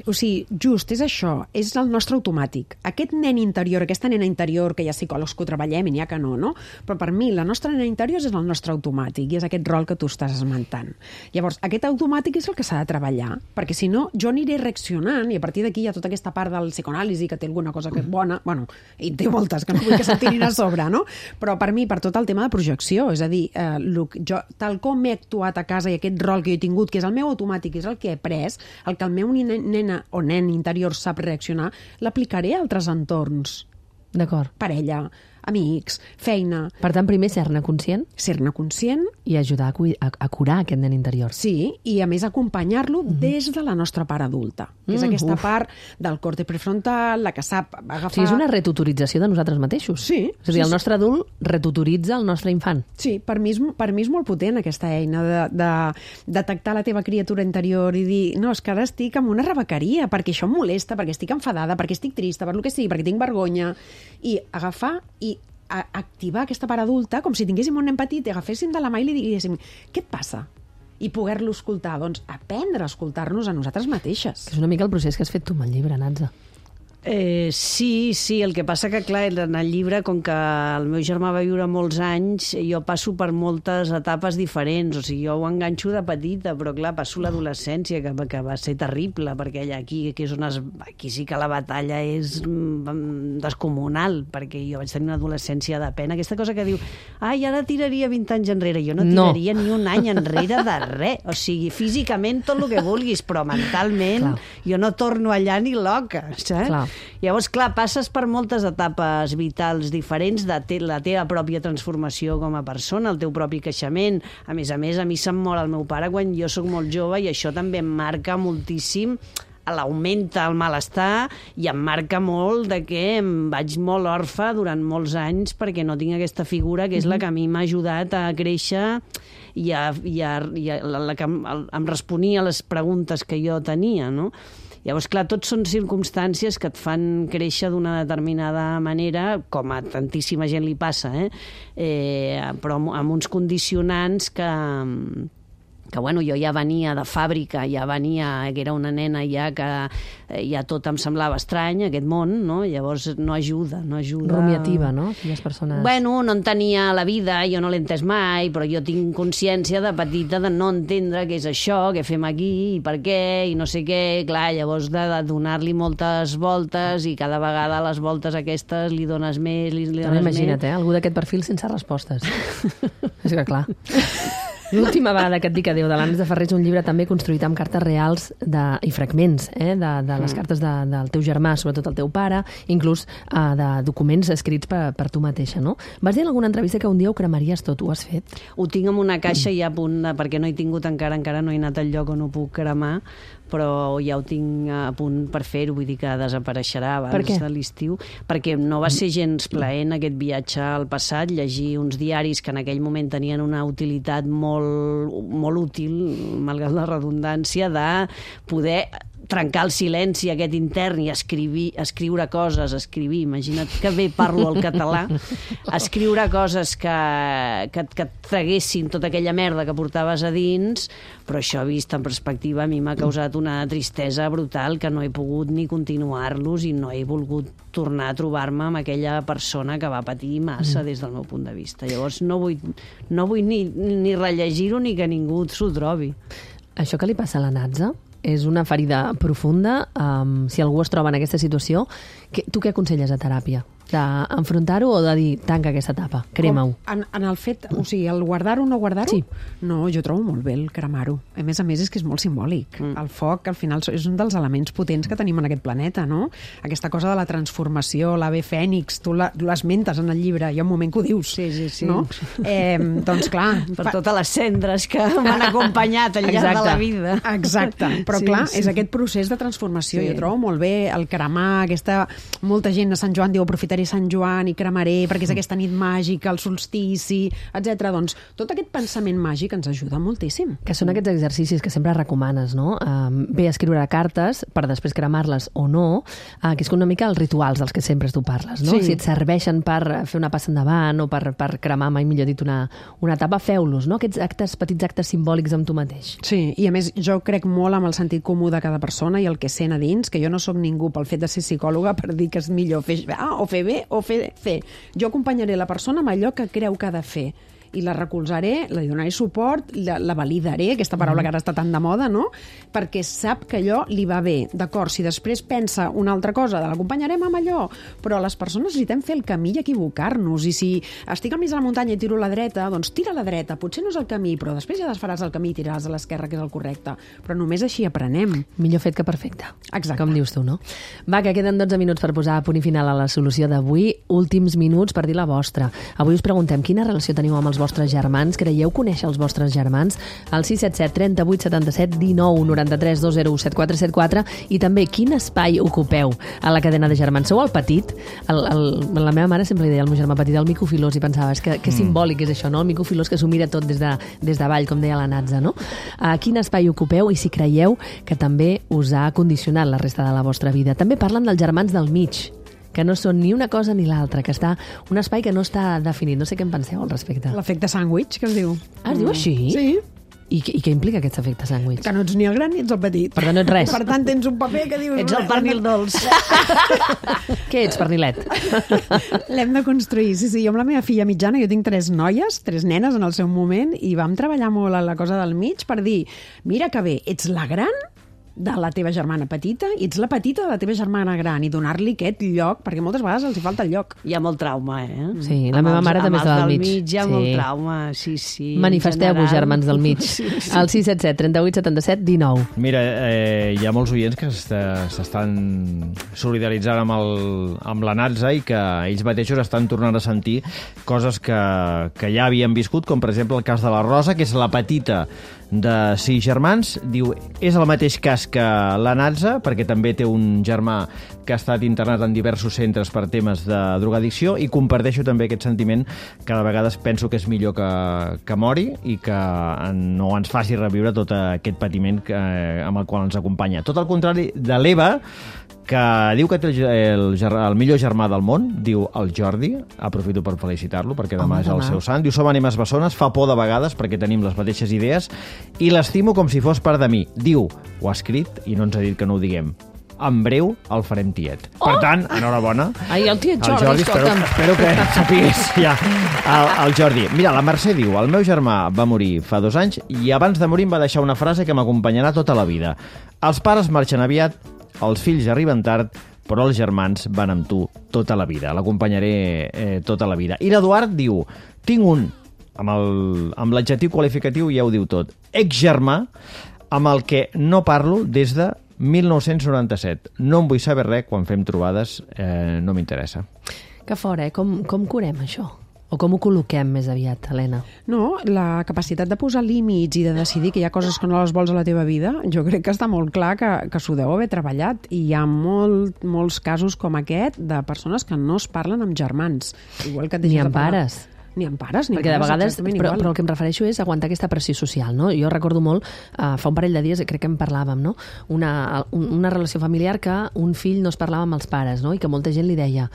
o sigui, just, és això, és el nostre automàtic. Aquest nen interior, aquesta nena interior, que hi ha psicòlegs que ho treballem i n'hi ha que no, no? Però per mi, la nostra nena interior és el nostre automàtic i és aquest rol que tu estàs esmentant. Llavors, aquest automàtic és el que s'ha de treballar, perquè si no, jo aniré reaccionant i a partir d'aquí hi ha tota aquesta part del psicoanàlisi que té alguna cosa que és bona, bueno, i té moltes, que no vull que se'n tirin a sobre, no? Però per mi, per tot el tema de projecció, és a dir, eh, jo, tal com he actuat a casa i aquest rol que jo he tingut, que és el meu automàtic, és el que he pres, el que el meu nena o nen interior sap reaccionar, l'aplicaré a altres entorns. D'acord. Parella, amics, feina... Per tant, primer ser-ne conscient. Ser-ne conscient. I ajudar a, a, a curar aquest nen interior. Sí, i a més acompanyar-lo mm-hmm. des de la nostra part adulta, que és mm, aquesta uf. part del còrtex prefrontal, la que sap agafar... O sigui, és una retutorització de nosaltres mateixos. Sí. És a dir, sí, el nostre adult retutoritza el nostre infant. Sí, per mi és, per mi és molt potent aquesta eina de, de detectar la teva criatura interior i dir, no, és que ara estic amb una rebequeria, perquè això em molesta, perquè estic enfadada, perquè estic trista, per lo que sigui, perquè tinc vergonya, i agafar i a activar aquesta part adulta com si tinguéssim un nen petit i agaféssim de la mà i li diguéssim, què et passa? i poder-lo escoltar. Doncs aprendre a escoltar-nos a nosaltres mateixes. Que és una mica el procés que has fet tu amb el llibre, Natza. Eh, sí, sí, el que passa que, clar, en el llibre, com que el meu germà va viure molts anys, jo passo per moltes etapes diferents, o sigui, jo ho enganxo de petita, però, clar, passo l'adolescència, que, que va ser terrible, perquè allà aquí, que és on es, aquí sí que la batalla és mm, descomunal, perquè jo vaig tenir una adolescència de pena. Aquesta cosa que diu, ai, ara tiraria vint anys enrere. Jo no tiraria no. ni un any enrere de res. O sigui, físicament tot el que vulguis, però mentalment clar. Jo no torno allà ni loca, saps? Clar. Llavors, clar, passes per moltes etapes vitals diferents de te la teva pròpia transformació com a persona, el teu propi creixement. A més a més, a mi se'm mor el meu pare quan jo sóc molt jove i això també em marca moltíssim, l'augmenta el malestar i em marca molt de que em vaig molt orfe durant molts anys perquè no tinc aquesta figura que és la que a mi m'ha ajudat a créixer i, a, i, a, i a, la, la que em, em responia a les preguntes que jo tenia, no? Llavors, clar, tots són circumstàncies que et fan créixer d'una determinada manera, com a tantíssima gent li passa, eh? Eh, però amb uns condicionants que... que bueno, jo ja venia de fàbrica, ja venia, que era una nena ja que ja tot em semblava estrany, aquest món, no? Llavors no ajuda, no ajuda... Rumiativa, no? Aquelles persones... Bueno, no entenia la vida, jo no l'he entès mai, però jo tinc consciència de petita de no entendre què és això, què fem aquí, i per què, i no sé què, clar, llavors de, de donar-li moltes voltes i cada vegada les voltes aquestes li dones més, li, li dones Imagina't, més... eh? Algú d'aquest perfil sense respostes. És que clar... L'última vegada que et dic adéu de l'Ànec de Ferrer és un llibre també construït amb cartes reals de, i fragments eh, de, de les cartes de, del teu germà, sobretot el teu pare, inclús eh, de documents escrits per, per tu mateixa, no? Vas dir en alguna entrevista que un dia ho cremaries tot, ho has fet? Ho tinc en una caixa ja a punt, de, perquè no he tingut encara, encara no he anat al lloc on ho puc cremar, però ja ho tinc a punt per fer-ho, vull dir que desapareixerà abans de l'estiu, perquè no va ser gens plaent aquest viatge al passat, llegir uns diaris que en aquell moment tenien una utilitat molt molt útil, malgrat la redundància, de poder trencar el silenci aquest intern i escriure, escriure coses, escriure, imagina't que bé parlo el català, escriure coses que, que, que et traguessin tota aquella merda que portaves a dins, però això vist en perspectiva a mi m'ha causat una tristesa brutal que no he pogut ni continuar-los i no he volgut tornar a trobar-me amb aquella persona que va patir massa des del meu punt de vista. Llavors no vull, no vull ni, ni rellegir-ho ni que ningú s'ho trobi. Això que li passa a la Natza és una ferida profunda. Um, si algú es troba en aquesta situació, que, tu què aconselles a teràpia? D'enfrontar-ho o de dir, tanca aquesta etapa, crema-ho? En, en el fet, o sigui, el guardar-ho o no guardar-ho? Sí. No, jo trobo molt bé el cremar-ho. A més a més, és que és molt simbòlic. Mm. El foc, al final, és un dels elements potents que tenim en aquest planeta, no? Aquesta cosa de la transformació, l'ave fènix, tu l'esmentes en el llibre, hi ha un moment que ho dius. Sí, sí, sí. No? Eh, doncs clar... Per fa... totes les cendres que m'han acompanyat al llarg de la vida. Exacte. Però sí, clar, sí. És aquest procés de transformació. Sí. Jo trobo molt bé el cremar, aquesta... Molta gent a Sant Joan diu, aprofitaré Sant Joan i cremaré perquè és aquesta nit màgica, el solstici, etcètera. Doncs tot aquest pensament màgic ens ajuda moltíssim. Que són aquests exercicis que sempre recomanes, no? Uh, bé escriure cartes per després cremar-les o no, uh, que és una mica els rituals dels que sempre tu parles, no? Sí. Si et serveixen per fer una passa endavant o per, per cremar, mai millor dit, una, una etapa, feu-los, no? Aquests actes, petits actes simbòlics amb tu mateix. Sí, i a més jo crec molt amb el sentit comú de cada persona i el que sent a dins, que jo no sóc ningú pel fet de ser psicòloga per dir que és millor fer A o fer B o fer C. Jo acompanyaré la persona amb allò que creu que ha de fer i la recolzaré, li donaré suport, la, la validaré, aquesta paraula que ara està tan de moda, no? Perquè sap que allò li va bé. D'acord, si després pensa una altra cosa, l'acompanyarem amb allò, però les persones necessitem fer el camí i equivocar-nos, i si estic al mig de la muntanya i tiro a la dreta, doncs tira a la dreta, potser no és el camí, però després ja desfaràs el camí i tiraràs a l'esquerra, que és el correcte. Però només així aprenem. Millor fet que perfecte. Exacte. Com dius tu, no? Va, que queden dotze minuts per posar a punt i final a la solució d'avui. Últims minuts per dir la vostra. Avui us preguntem quina relació teniu amb els vostres germans, creieu conèixer els vostres germans? Al sis set set, trenta-vuit, setanta-set, dinou, noranta-tres, dos zero u, set quatre set quatre, i també quin espai ocupeu a la cadena de germans? Sou el petit? El, el, la meva mare sempre li deia al meu germà petit el mico filós, i pensava, és que, que simbòlic és això, no? El mico filós que s'ho mira tot des de, des de avall, com deia la Natza, no? A quin espai ocupeu i si creieu que també us ha condicionat la resta de la vostra vida? També parlen dels germans del mig, que no són ni una cosa ni l'altra, que està un espai que no està definit. No sé què en penseu al respecte. L'efecte sàndwich, que es diu. Ah, es diu així? Sí. I, I què implica aquest efecte sàndwich? Que no ets ni el gran ni ets el petit. Per tant, no ets res. Per tant, tens un paper que dius... Ets el pernil dolç. Què ets, pernilet? L'hem de construir. Sí, sí, jo amb la meva filla mitjana, jo tinc tres noies, tres nenes en el seu moment, i vam treballar molt a la cosa del mig per dir, mira que bé, ets la gran de la teva germana petita i ets la petita de la teva germana gran, i donar-li aquest lloc, perquè moltes vegades els hi falta el lloc. Hi ha molt trauma, eh? Sí, la meva els, mare també és del mig. mig. Hi ha sí. molt trauma, sí, sí. Manifesteu-vos, germans del mig. Sí, sí. Al sis set set, trenta-vuit, setanta-set, dinou. Mira, eh, hi ha molts oients que s'estan solidaritzant amb, el, amb la Natza i que ells mateixos estan tornant a sentir coses que, que ja havien viscut, com per exemple el cas de la Rosa, que és la petita de sis germans. Diu, és el mateix cas que la Natza, perquè també té un germà que ha estat internat en diversos centres per temes de drogadicció, i comparteixo també aquest sentiment que de vegades penso que és millor que, que mori i que no ens faci reviure tot aquest patiment que, amb el qual ens acompanya. Tot el contrari de l'Eva, que diu que té el, el, el millor germà del món, diu el Jordi, aprofito per felicitar-lo perquè demà Home, és el demà. seu sant, diu som ànimes bessones, fa por de vegades perquè tenim les mateixes idees i l'estimo com si fos part de mi. Diu, ho ha escrit i no ens ha dit que no ho diguem. En breu el farem tiet. Oh! Per tant, enhorabona. Ai, el tiet El Jordi, Jordi, espero, escolta'm. espero que sapigués ja el, el Jordi. Mira, la Mercè diu, el meu germà va morir fa dos anys i abans de morir em va deixar una frase que m'acompanyarà tota la vida. Els pares marxen aviat, els fills arriben tard, però els germans van amb tu tota la vida. L'acompanyaré eh, tota la vida. I l'Eduard diu, tinc un, amb el- amb l'adjectiu qualificatiu ja ho diu tot, exgermà, amb el que no parlo des de mil nou-cents noranta-set. No en vull saber res, quan fem trobades eh, no m'interessa. Que fora, eh? Com, com curem això? O com ho col·loquem més aviat, Helena? No, la capacitat de posar límits i de decidir que hi ha coses que no les vols a la teva vida, jo crec que està molt clar que, que s'ho deu haver treballat, i hi ha molt, molts casos com aquest de persones que no es parlen amb germans. Igual que et Ni deixes de amb parlar. pares. Ni amb pares, ni Perquè de amb pares, vegades, exactament però, igual. però el que em refereixo és aguantar aquesta pressió social, no? Jo recordo molt, uh, fa un parell de dies, crec que en parlàvem, no? Una, un, una relació familiar que un fill no es parlava amb els pares, no? I que molta gent li deia,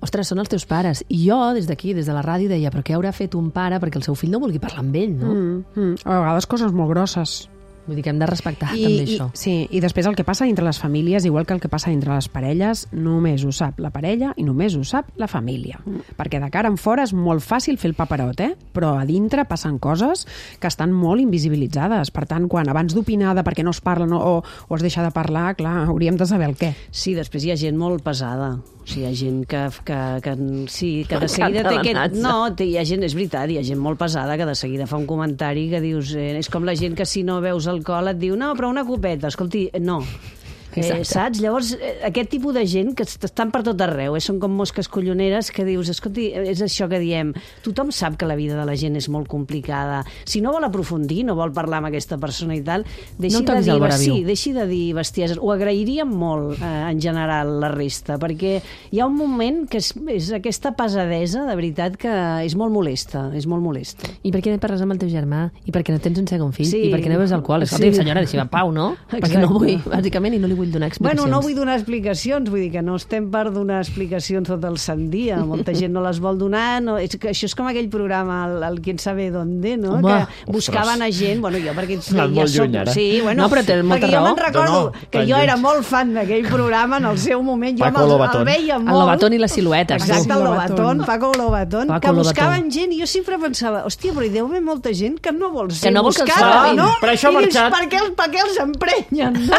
ostres, són els teus pares. I jo, des d'aquí, des de la ràdio, deia, però què haurà fet un pare perquè el seu fill no vulgui parlar amb ell, no? Mm, mm. A vegades coses molt grosses. Vull dir que hem de respectar I, també i, això. sí, i després el que passa entre les famílies, igual que el que passa entre les parelles, només ho sap la parella i només ho sap la família. Mm. Perquè de cara en fora és molt fàcil fer el paperot, eh? Però a dintre passen coses que estan molt invisibilitzades. Per tant, quan abans d'opinar de per què no es parla no, o, o es deixa de parlar, clar, hauríem de saber el què. Sí, després hi ha gent molt pesada. O sigui, hi ha gent que, que, que, sí, que de M'encanta seguida té la aquest... Natza. No, té, hi ha gent, és veritat, hi ha gent molt pesada que de seguida fa un comentari que dius... Eh, és com la gent que si no veus alcohol et diu no, però una copeta, escolti, no. Eh, Exacte. saps? Llavors, eh, aquest tipus de gent que est- estan per tot arreu, eh? Són com mosques colloneres que dius, escolti, és això que diem, tothom sap que la vida de la gent és molt complicada. Si no vol aprofundir, no vol parlar amb aquesta persona i tal, deixi, No de, toquis dir, el vora sí, viu. deixi de dir bestieses. Ho agrairíem molt, eh, en general, la resta, perquè hi ha un moment que és, és aquesta pesadesa, de veritat, que és molt molesta, és molt molesta. I per què no parles amb el teu germà? I per què no tens un segon fill? Sí. I per què no beus alcohol? Escolta, Sí. senyora, deixi'm en pau, no? Exacte. Perquè no vull, bàsicament, i no li vull donar explicacions. Bueno, no vull donar explicacions, vull dir que no estem per donar explicacions tot el sant dia, molta gent no les vol donar, no, és que això és com aquell programa, el, el Quién sabe dónde, no? Home, que buscaven a gent, bueno, jo perquè Has anat molt lluny, ara. sí, bueno, No, però tens molta perquè jo raó. me'n recordo No, no, que tan jo lluny. era molt fan d'aquell programa en el seu moment, jo Paco me'l- Lobatón. el veia El molt. Lobatón i les siluetes. Exacte, el Paco Lobatón, Lobatón. Paco Lobatón, Paco que buscaven Lobatón. gent i jo sempre pensava, hòstia, però hi deu haver molta gent que no vol ser Que no vol que els buscada, trobin. no? Per això ha I dius, marxat. per què, per què els emprenyen, no?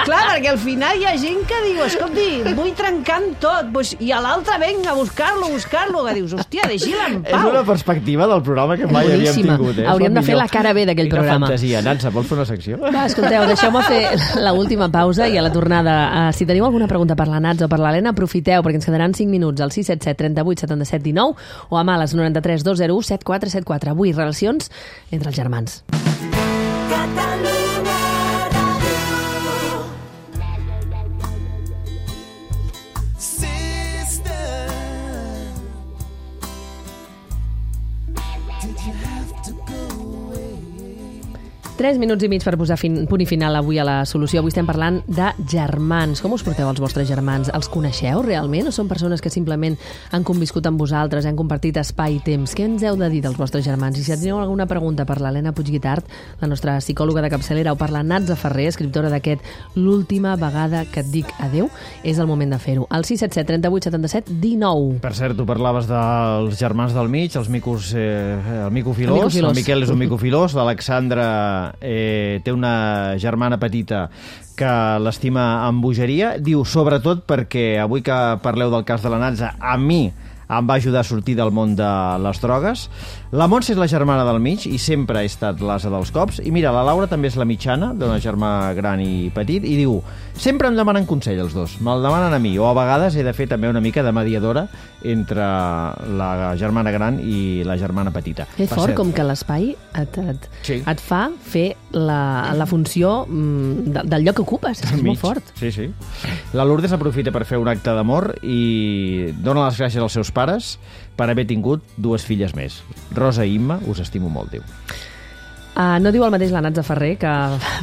Clar, perquè al final hi ha gent que diu, escolti, vull trencar amb tot, doncs, i a l'altre venga a buscar-lo, buscar-lo, que dius, hòstia, deixi-la en És pau. una perspectiva del programa que mai havíem Boníssima. tingut. Eh? És Hauríem de fer millor. la cara B d'aquell Quina programa. fantasia. Nansa, vols fer una secció? Va, escolteu, deixeu-me fer la última pausa i a la tornada, uh, si teniu alguna pregunta per la Nats o per l'Helena, aprofiteu, perquè ens quedaran cinc minuts al sis set set, trenta-vuit, setanta-set, dinou o a males noranta-tres, dos zero u, set quatre set quatre. Avui, relacions entre els germans. Tres minuts i mig per posar fin, punt i final avui a la solució. Avui estem parlant de germans. Com us porteu els vostres germans? Els coneixeu realment o són persones que simplement han conviscut amb vosaltres, han compartit espai i temps? Què ens heu de dir dels vostres germans? I si teniu alguna pregunta per l'Helena Puigguitart, la nostra psicòloga de capçalera, o per la Natza Ferrer, escriptora d'aquest L'última vegada que et dic adeu, és el moment de fer-ho. Al sis set set, trenta-vuit, setanta-set, dinou. Per cert, tu parlaves dels germans del mig, els micos, eh, el mico filós. El, mico filós. El Miquel és un mico filós, l'Alexandra eh, té una germana petita que l'estima amb bogeria. Diu, sobretot perquè avui que parleu del cas de la Natza, a mi em va ajudar a sortir del món de les drogues. La Montse és la germana del mig i sempre ha estat l'asa dels cops. I mira, la Laura també és la mitjana, d'una germà gran i petit, i diu, sempre em demanen consell els dos, me'l demanen a mi, o a vegades he de fer també una mica de mediadora entre la germana gran i la germana petita. És fort, com que l'espai et, et, sí. et fa fer la, la funció de, del lloc que ocupes. És molt fort. Sí, sí. La Lourdes aprofita per fer un acte d'amor i dona les gràcies als seus pares per haver tingut dues filles més. Rosa i Imma, us estimo molt, diu. Uh, no diu el mateix la Natza Ferrer, que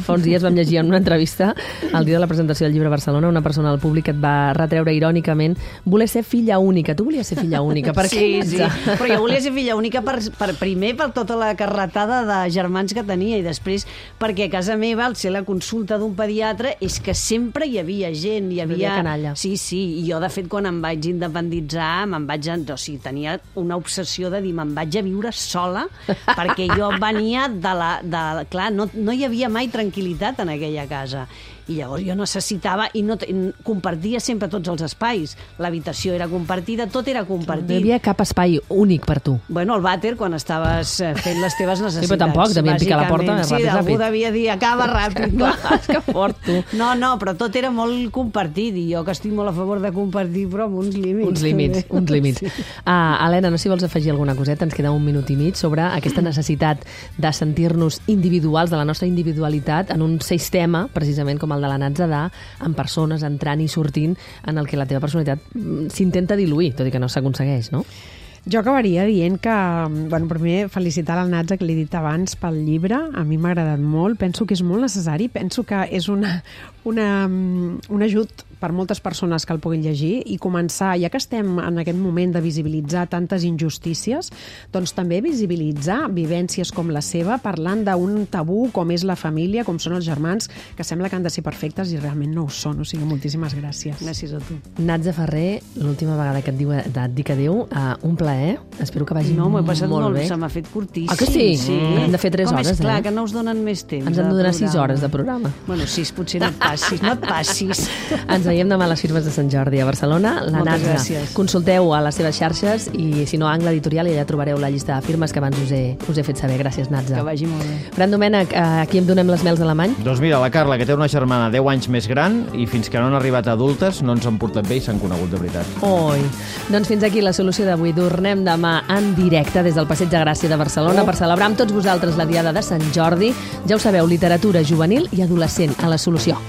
fa uns dies vam llegir en una entrevista el dia de la presentació del llibre a Barcelona, una persona del públic que et va retreure irònicament voler ser filla única. Tu volies ser filla única. Per sí, què, sí, però jo volia ser filla única per, per primer per tota la carretada de germans que tenia i després perquè a casa meva, al ser la consulta d'un pediatre, és que sempre hi havia gent, hi havia... canalla. Sí, sí, i jo de fet quan em vaig independitzar, me'n vaig... O sigui, tenia una obsessió de dir me'n vaig a viure sola perquè jo venia de la De, clar, no, no hi havia mai tranquil·litat en aquella casa i llavors jo necessitava i no compartia sempre tots els espais, l'habitació era compartida, tot era compartit. No hi havia cap espai únic per tu. Bueno, el vàter quan estaves fent les teves necessitats. Sí, però tampoc, devien picar la porta sí, ràpid, ràpid. Algú devia dir, acaba ràpid. Clar, és que fort, tu. No, no, però tot era molt compartit i jo que estic molt a favor de compartir, però amb uns límits. Uns límits, també. uns límits. Sí. Uh, Helena, no sé si vols afegir alguna coseta, ens queda un minut i mig sobre aquesta necessitat de sentir-nos individuals, de la nostra individualitat, en un sistema, precisament com el de la Natza, de amb persones entrant i sortint en el que la teva personalitat s'intenta diluir, tot i que no s'aconsegueix, no? Jo acabaria dient que, bueno, primer felicitar la Natza, que l'he dit abans, pel llibre. A mi m'ha agradat molt, penso que és molt necessari, penso que és una, una, un ajut per moltes persones que el puguin llegir i començar, ja que estem en aquest moment de visibilitzar tantes injustícies, doncs també visibilitzar vivències com la seva, parlant d'un tabú com és la família, com són els germans, que sembla que han de ser perfectes i realment no ho són. O sigui, moltíssimes gràcies. Gràcies a tu. Natza Ferrer, l'última vegada que et, diu, et dic adéu, uh, un plaer. Espero que vagi no, molt bé. No, m'ho he passat molt bé. Se m'ha fet curtíssim. Ah, que sí? Sí. Hem de fer tres com hores, és clar, eh? que no us donen més temps. Ens han de donar sis hores de programa. Bueno, sis, potser no et passis, no et passis. Ens veiem demà a les firmes de Sant Jordi a Barcelona. La Moltes Natza. gràcies. Consulteu a les seves xarxes i, si no, a Angle Editorial, i allà trobareu la llista de firmes que abans us he, us he fet saber. Gràcies, Natza. Que vagi molt bé. Fran Domènech, a qui em donem les mels Alemany? Doncs mira, la Carla, que té una germana deu anys més gran i fins que no han arribat adultes no ens han portat bé i s'han conegut de veritat. Oi. Doncs fins aquí la solució d'avui. Tornem demà en directe des del Passeig de Gràcia de Barcelona oh. per celebrar amb tots vosaltres la Diada de Sant Jordi. Ja ho sabeu, literatura juvenil i adolescent a la solució.